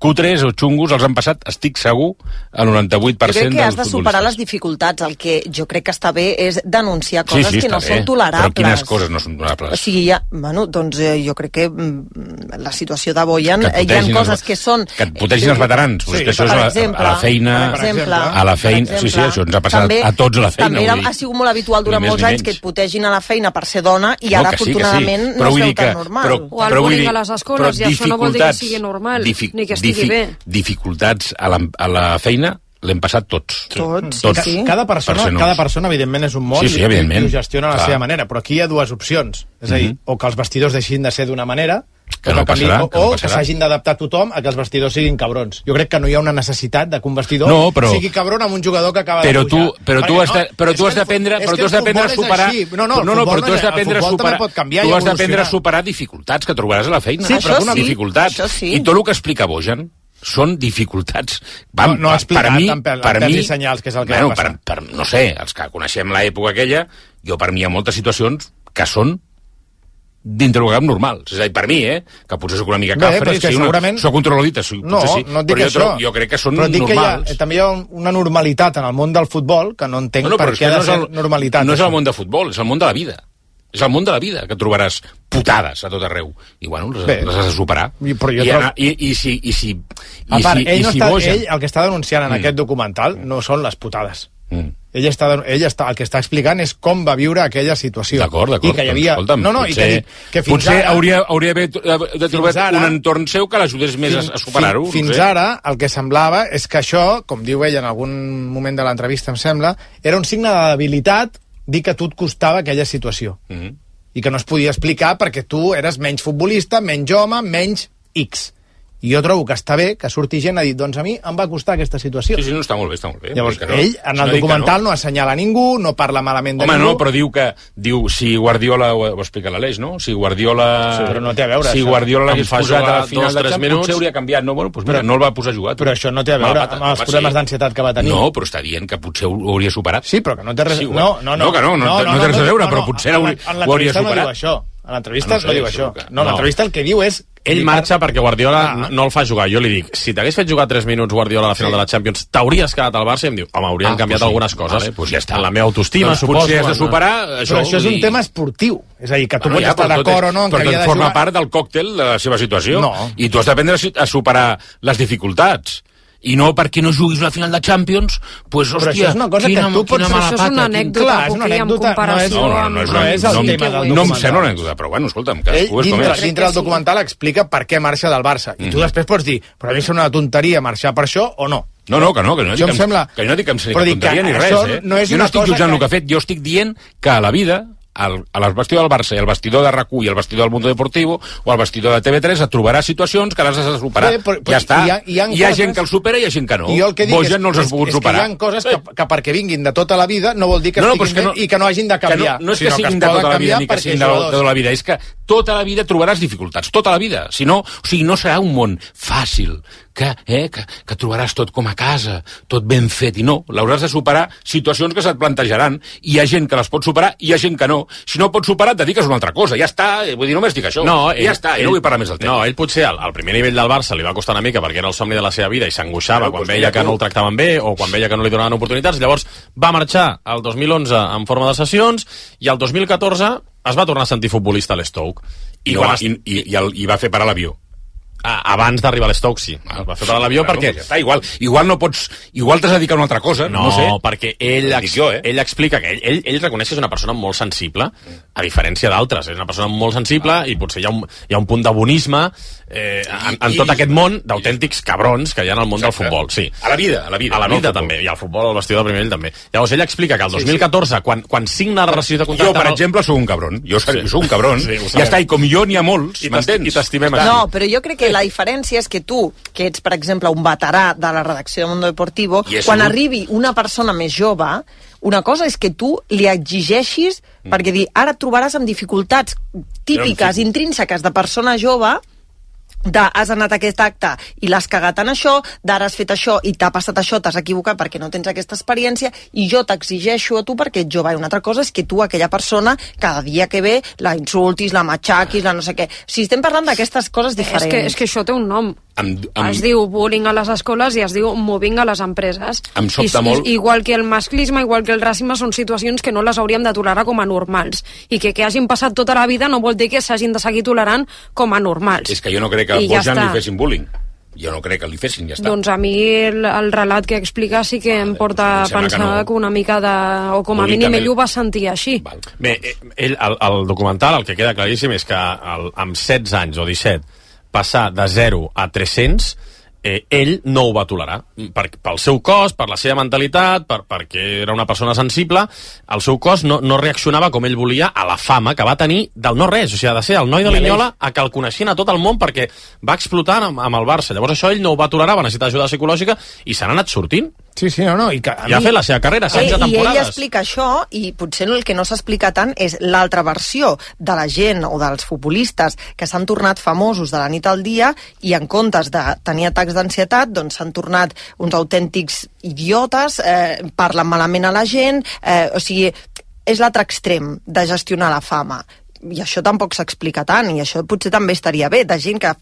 cutres o xungos els han passat, estic segur, el noranta-vuit per cent dels futbolistes. Jo crec que has de superar les dificultats. El que jo crec que està bé és denunciar coses sí, sí, que no bé. són tolerables. Però quines coses no són tolerables? O sigui, ja, bueno, doncs eh, jo crec que mm, la situació de Bojan, hi ha coses que són... Que et putegin els veterans. Sí, que això és exemple, a la feina... Per exemple, a la feina, exemple, sí, sí, això ens ha passat també, a tots a la feina. També era, ha sigut molt habitual durant molts anys que et putegin a la feina per ser dona i ara, no, sí, afortunadament, sí. no es veu tan normal. Però, o el bullying a les escoles, i això no vol dir que sigui normal, ni que estigui bé. Dificultats a la, a la feina l'hem passat tots. Tots, tots. Sí, sí. Cada persona, per cada persona, evidentment, és un món, sí, sí, i, i ho gestiona a la clar. seva manera, però aquí hi ha dues opcions. És a dir, mm -hmm. o que els vestidors deixin de ser d'una manera, que no canvi, passarà, o que, no que s'hagin d'adaptar tothom a que els vestidors siguin cabrons. Jo crec que no hi ha una necessitat de que un vestidor no, però, sigui cabron amb un jugador que acaba però de pujar. Tu, però tu has de, però tu has d'aprendre però tu has d'aprendre a superar... No, no, no, no, però tu has d'aprendre a superar... Canviar tu has d'aprendre a superar dificultats que trobaràs a la feina. Sí, però sí, dificultats. Sí. I tot el que explica Bojan són dificultats. Vam, no, no explicat per mi, per, per mi, senyals, que és el que bueno, va passar. Per, per, no sé, els que coneixem l'època aquella, jo per mi hi ha moltes situacions que són dintre del camp normal. És a dir, per mi, eh? Que potser soc una mica cafre, Bé, si segurament... una, soc controladita, si, no, potser sí, no et dic però això. jo, trobo, jo crec que són però dic normals. Que hi ha, també hi ha una normalitat en el món del futbol que no entenc no, no, per què ha de no ser el, normalitat. No és això. el món de futbol, és el món de la vida. És el món de la vida, que trobaràs putades a tot arreu. I, bueno, les, Bé, les has de superar. I, però jo I, trobo... i, i, si, i si... A part, i si, ell, i no si està, boja... ell el que està denunciant en Mm. aquest documental no són les putades. Mm. Ell, està, ell està, el que està explicant és com va viure aquella situació. D'acord, d'acord. I que hi havia... Doncs, escolta'm, no, no, potser, i que, dic que fins potser ara... hauria, hauria de, de trobar ara- un entorn seu que l'ajudés més Fins- a, a superar-ho. Fins, fins no sé. ara, el que semblava és que això, com diu ell en algun moment de l'entrevista, em sembla, era un signe de debilitat dir que a tu et costava aquella situació. Mm -hmm. I que no es podia explicar perquè tu eres menys futbolista, menys home, menys X. I jo trobo que està bé que surti gent a dir, doncs a mi em va costar aquesta situació. Sí, sí, no, està molt bé, està molt bé. Llavors, Vull dir que ell, en Si el no dic que documental, no. no assenyala ningú, no parla malament de Home, ningú. no, però diu que... Diu, si Guardiola... Ho, ho explica l'Aleix, no? Si Guardiola... Sí, però no té a veure, Si això. Guardiola l'hagués Em fa posat jugar a la final dos, de tres Champions, minuts. potser hauria canviat. No, bueno, doncs mira, Però- no el va posar a jugar. Però això no té a Mala veure pata, amb els va, problemes sí. d'ansietat que va tenir. No, però està dient que potser ho hauria superat. Sí, però que no té res... Sí, no, no, no. no, que no, no, no, no té res a veure, però potser en ho, la- ho en hauria l'entrevista no superat. diu això. En l'entrevista Ah, no sé, no diu això això. que- No, no. l'entrevista el que diu és... Ell marxa perquè Guardiola Ah. no el fa jugar. Jo li dic, si t'hagués fet jugar tres minuts Guardiola a la final Sí. de la Champions, t'hauries quedat al Barça? I em diu, home, haurien Ah, canviat pues sí. algunes coses. Vale, pues ja està. En la meva autoestima, Doncs suposo. potser has de en- superar Però això. això és un i- tema esportiu. És a dir, que tu Bueno, pots ja, estar però tot d'acord és- o no en que però havia de forma jugar... part del còctel de la seva situació. No. I tu has d'aprendre a si- a superar les dificultats. I no perquè no juguis la final de Champions, pues, Però hòstia, això és una cosa quina, que tu pots... quina mala Això és pata. una quin- anècdota, Clar, és una Coquí, en anècdota, comparació no és- No, no, amb... no és, no és el no, em- tema del no em documental. sembla una anècdota, però bueno, escolta'm, Ell, cadascú és com dintre, és. dintre del documental explica per què marxa del Barça. I tu Mhm. després pots dir, però a mi sembla una tonteria marxar per això o no. No, no, que no, que no, Jo que em sembla- que no dic que em sembli però que dic que tonteria ni res, això eh? no és jo no una estic cosa jutjant que- el que ha fet, jo estic dient que a la vida, al, al vestidor del Barça i al vestidor de RAC u i al vestidor del Mundo Deportivo o al vestidor de T V tres et trobaràs situacions que les has de superar. Bé, però- ja està. hi ha- hi ha hi ha coses- gent que el supera i hi ha gent que no. I jo el que dic Boja és, no els has és, pogut és que superar. hi ha coses que, que perquè vinguin de tota la vida no vol dir que No, no, estiguin però és que bé no- i que no hagin de canviar. Que no, no és que sinó siguin es de poden tota la vida canviar ni que perquè siguin de, jugadors- de tota la vida, és que tota la vida trobaràs dificultats, tota la vida. Si no, o sigui, no serà un món fàcil, que, eh, que, que trobaràs tot com a casa, tot ben fet, i no, l'hauràs de superar situacions que se't plantejaran, i hi ha gent que les pot superar i hi ha gent que no. Si no pots superar, et dediques a una altra cosa, ja està, eh, vull dir, només dic això. No, I ja està, i no vull parlar més del tema. No, ell potser al, al primer nivell del Barça li va costar una mica perquè era el somni de la seva vida i s'angoixava Bueno, quan doncs veia mira que tu. no el tractaven bé o quan veia que no li donaven oportunitats. Llavors va marxar el dos mil onze en forma de sessions i el dos mil catorze es va tornar a sentir futbolista a l'Stoke. I, I, no, quan va, es... i, i, i, el, i va fer parar l'avió. ah, abans d'arribar a l'Stoke, sí. Ah, va fer parar l'avió claro, perquè... pues ja està, igual, igual no pots... Igual t'has de dedicar a una altra cosa, no, No, no sé. perquè ell, Ho dic ex, jo, eh? ell explica que ell, ell, ell reconeix que és una persona molt sensible, a diferència d'altres. És una persona molt sensible Ah. i potser hi ha un, hi ha un punt de bonisme eh, en, en I- tot aquest món d'autèntics cabrons que hi ha en el món Exacte. del futbol. Sí. A la vida, a la vida. A la no al vida futbol. també, i al futbol, al vestidor de primer nivell també. Llavors ell explica que el Sí, dos mil catorze, quan, quan signa la relació de contracte... Jo, per amb el- exemple, sóc un cabron. Jo, Sí. jo sóc un cabron. Sí, ho ja sabem. està, i com jo n'hi ha molts, I t'esti- m'entens? i t'estimem així. No, però jo crec que la diferència és que tu, que ets, per exemple, un veterà de la redacció de Mundo Deportivo, I és quan un- arribi una persona més jove, una cosa és que tu li exigeixis, Mm. perquè dir, ara et trobaràs amb dificultats típiques, intrínseques de persona jove, de has anat a aquest acte i l'has cagat en això, d'ara has fet això i t'ha passat això, t'has equivocat perquè no tens aquesta experiència, i jo t'exigeixo a tu perquè ets jove. I una altra cosa és que tu, aquella persona, cada dia que ve, la insultis, la matxaquis, la no sé què. O sigui, estem parlant d'aquestes coses diferents. És que, és que això té un nom. Amb, amb, Es diu bullying a les escoles i es diu mobbing a les empreses. Em sobta I, molt. I, igual que el masclisme, igual que el racisme, són situacions que no les hauríem de tolerar com a normals. I que que hagin passat tota la vida no vol dir que s'hagin de seguir tolerant com a normals. És que jo no crec que I ja Bojan està. li fessin bullying. Jo no crec que li fessin, ja està. Doncs a mi el, el relat que explica sí que em porta doncs a em sembla que pensar no. que una mica de... o com a Únicament- mínim ell ho va sentir així. Bé, eh, ell, el, el documental, el que queda claríssim és que el, amb setze anys o disset passar de zero a tres-cents, eh, ell no ho va tolerar. Per, pel seu cos, per la seva mentalitat, per, perquè era una persona sensible, el seu cos no, no reaccionava com ell volia a la fama que va tenir del no-res. O sigui, de ser el noi de Linyola a que el coneixien a tot el món perquè va explotar amb, amb el Barça. Llavors això ell no ho va tolerar, va necessitar ajuda psicològica i se n'ha anat sortint. Sí, sí, no, no. I, que, a I ha mi- fet la seva carrera, setze I ell temporades. explica això, i potser el que no s'explica tant és l'altra versió de la gent o dels futbolistes que s'han tornat famosos de la nit al dia i en comptes de tenir atacs d'ansietat doncs s'han tornat uns autèntics idiotes, eh, parlen malament a la gent, eh, o sigui, és l'altre extrem de gestionar la fama. i això tampoc s'explica tant, i això potser també estaria bé, de gent que a,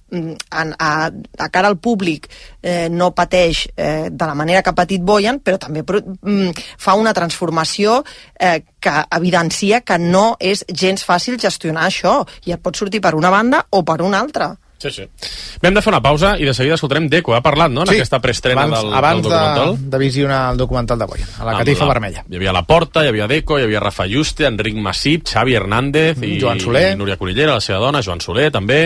a, a cara al públic eh, no pateix eh, de la manera que ha patit Bojan, però també mm, fa una transformació eh, que evidencia que no és gens fàcil gestionar això, i et pot sortir per una banda o per una altra. Sí, sí. Bé, hem de fer una pausa i de seguida escoltarem Deco. Ha parlat, no?, en sí, aquesta preestrena abans, del, abans del documental. Abans de, de visionar el documental de Bojan, a la catifa la, vermella. Hi havia la Porta, hi havia Deco, hi havia Rafa Juste, Enric Massip, Xavi Hernández i, Joan Soler. i Núria Cunillera, la seva dona, Joan Soler, també.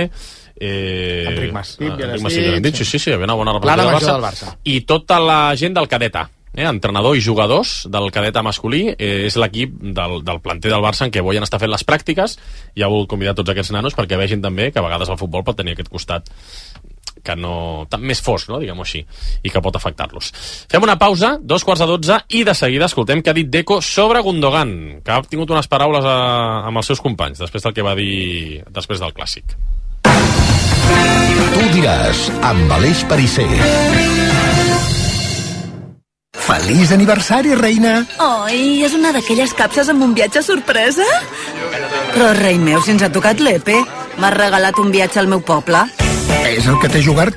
Eh, Enric Massip, ah, Enric Massip, ja dit, sí, sí, sí, hi havia una bona representació del, del Barça. I tota la gent del cadet A. Eh, entrenador i jugadors del cadet A masculí, eh, és l'equip del, del planter del Barça en què Bojan està fent les pràctiques, i ha volgut convidar tots aquests nanos perquè vegin també que a vegades el futbol pot tenir aquest costat que no, tan més fosc, no, diguem-ho així, i que pot afectar-los. Fem una pausa, dos quarts de dotze, i de seguida escoltem què ha dit Deco sobre Gundogan, que ha tingut unes paraules a, amb els seus companys després del que va dir després del Clàssic. Tu diràs, amb Aleix Perisser. Feliç aniversari, reina! Oi, és una d'aquelles capses amb un viatge sorpresa? Però, rei meu, si ens ha tocat l'E P E, m'has regalat un viatge al meu poble. És el que té jugar-te.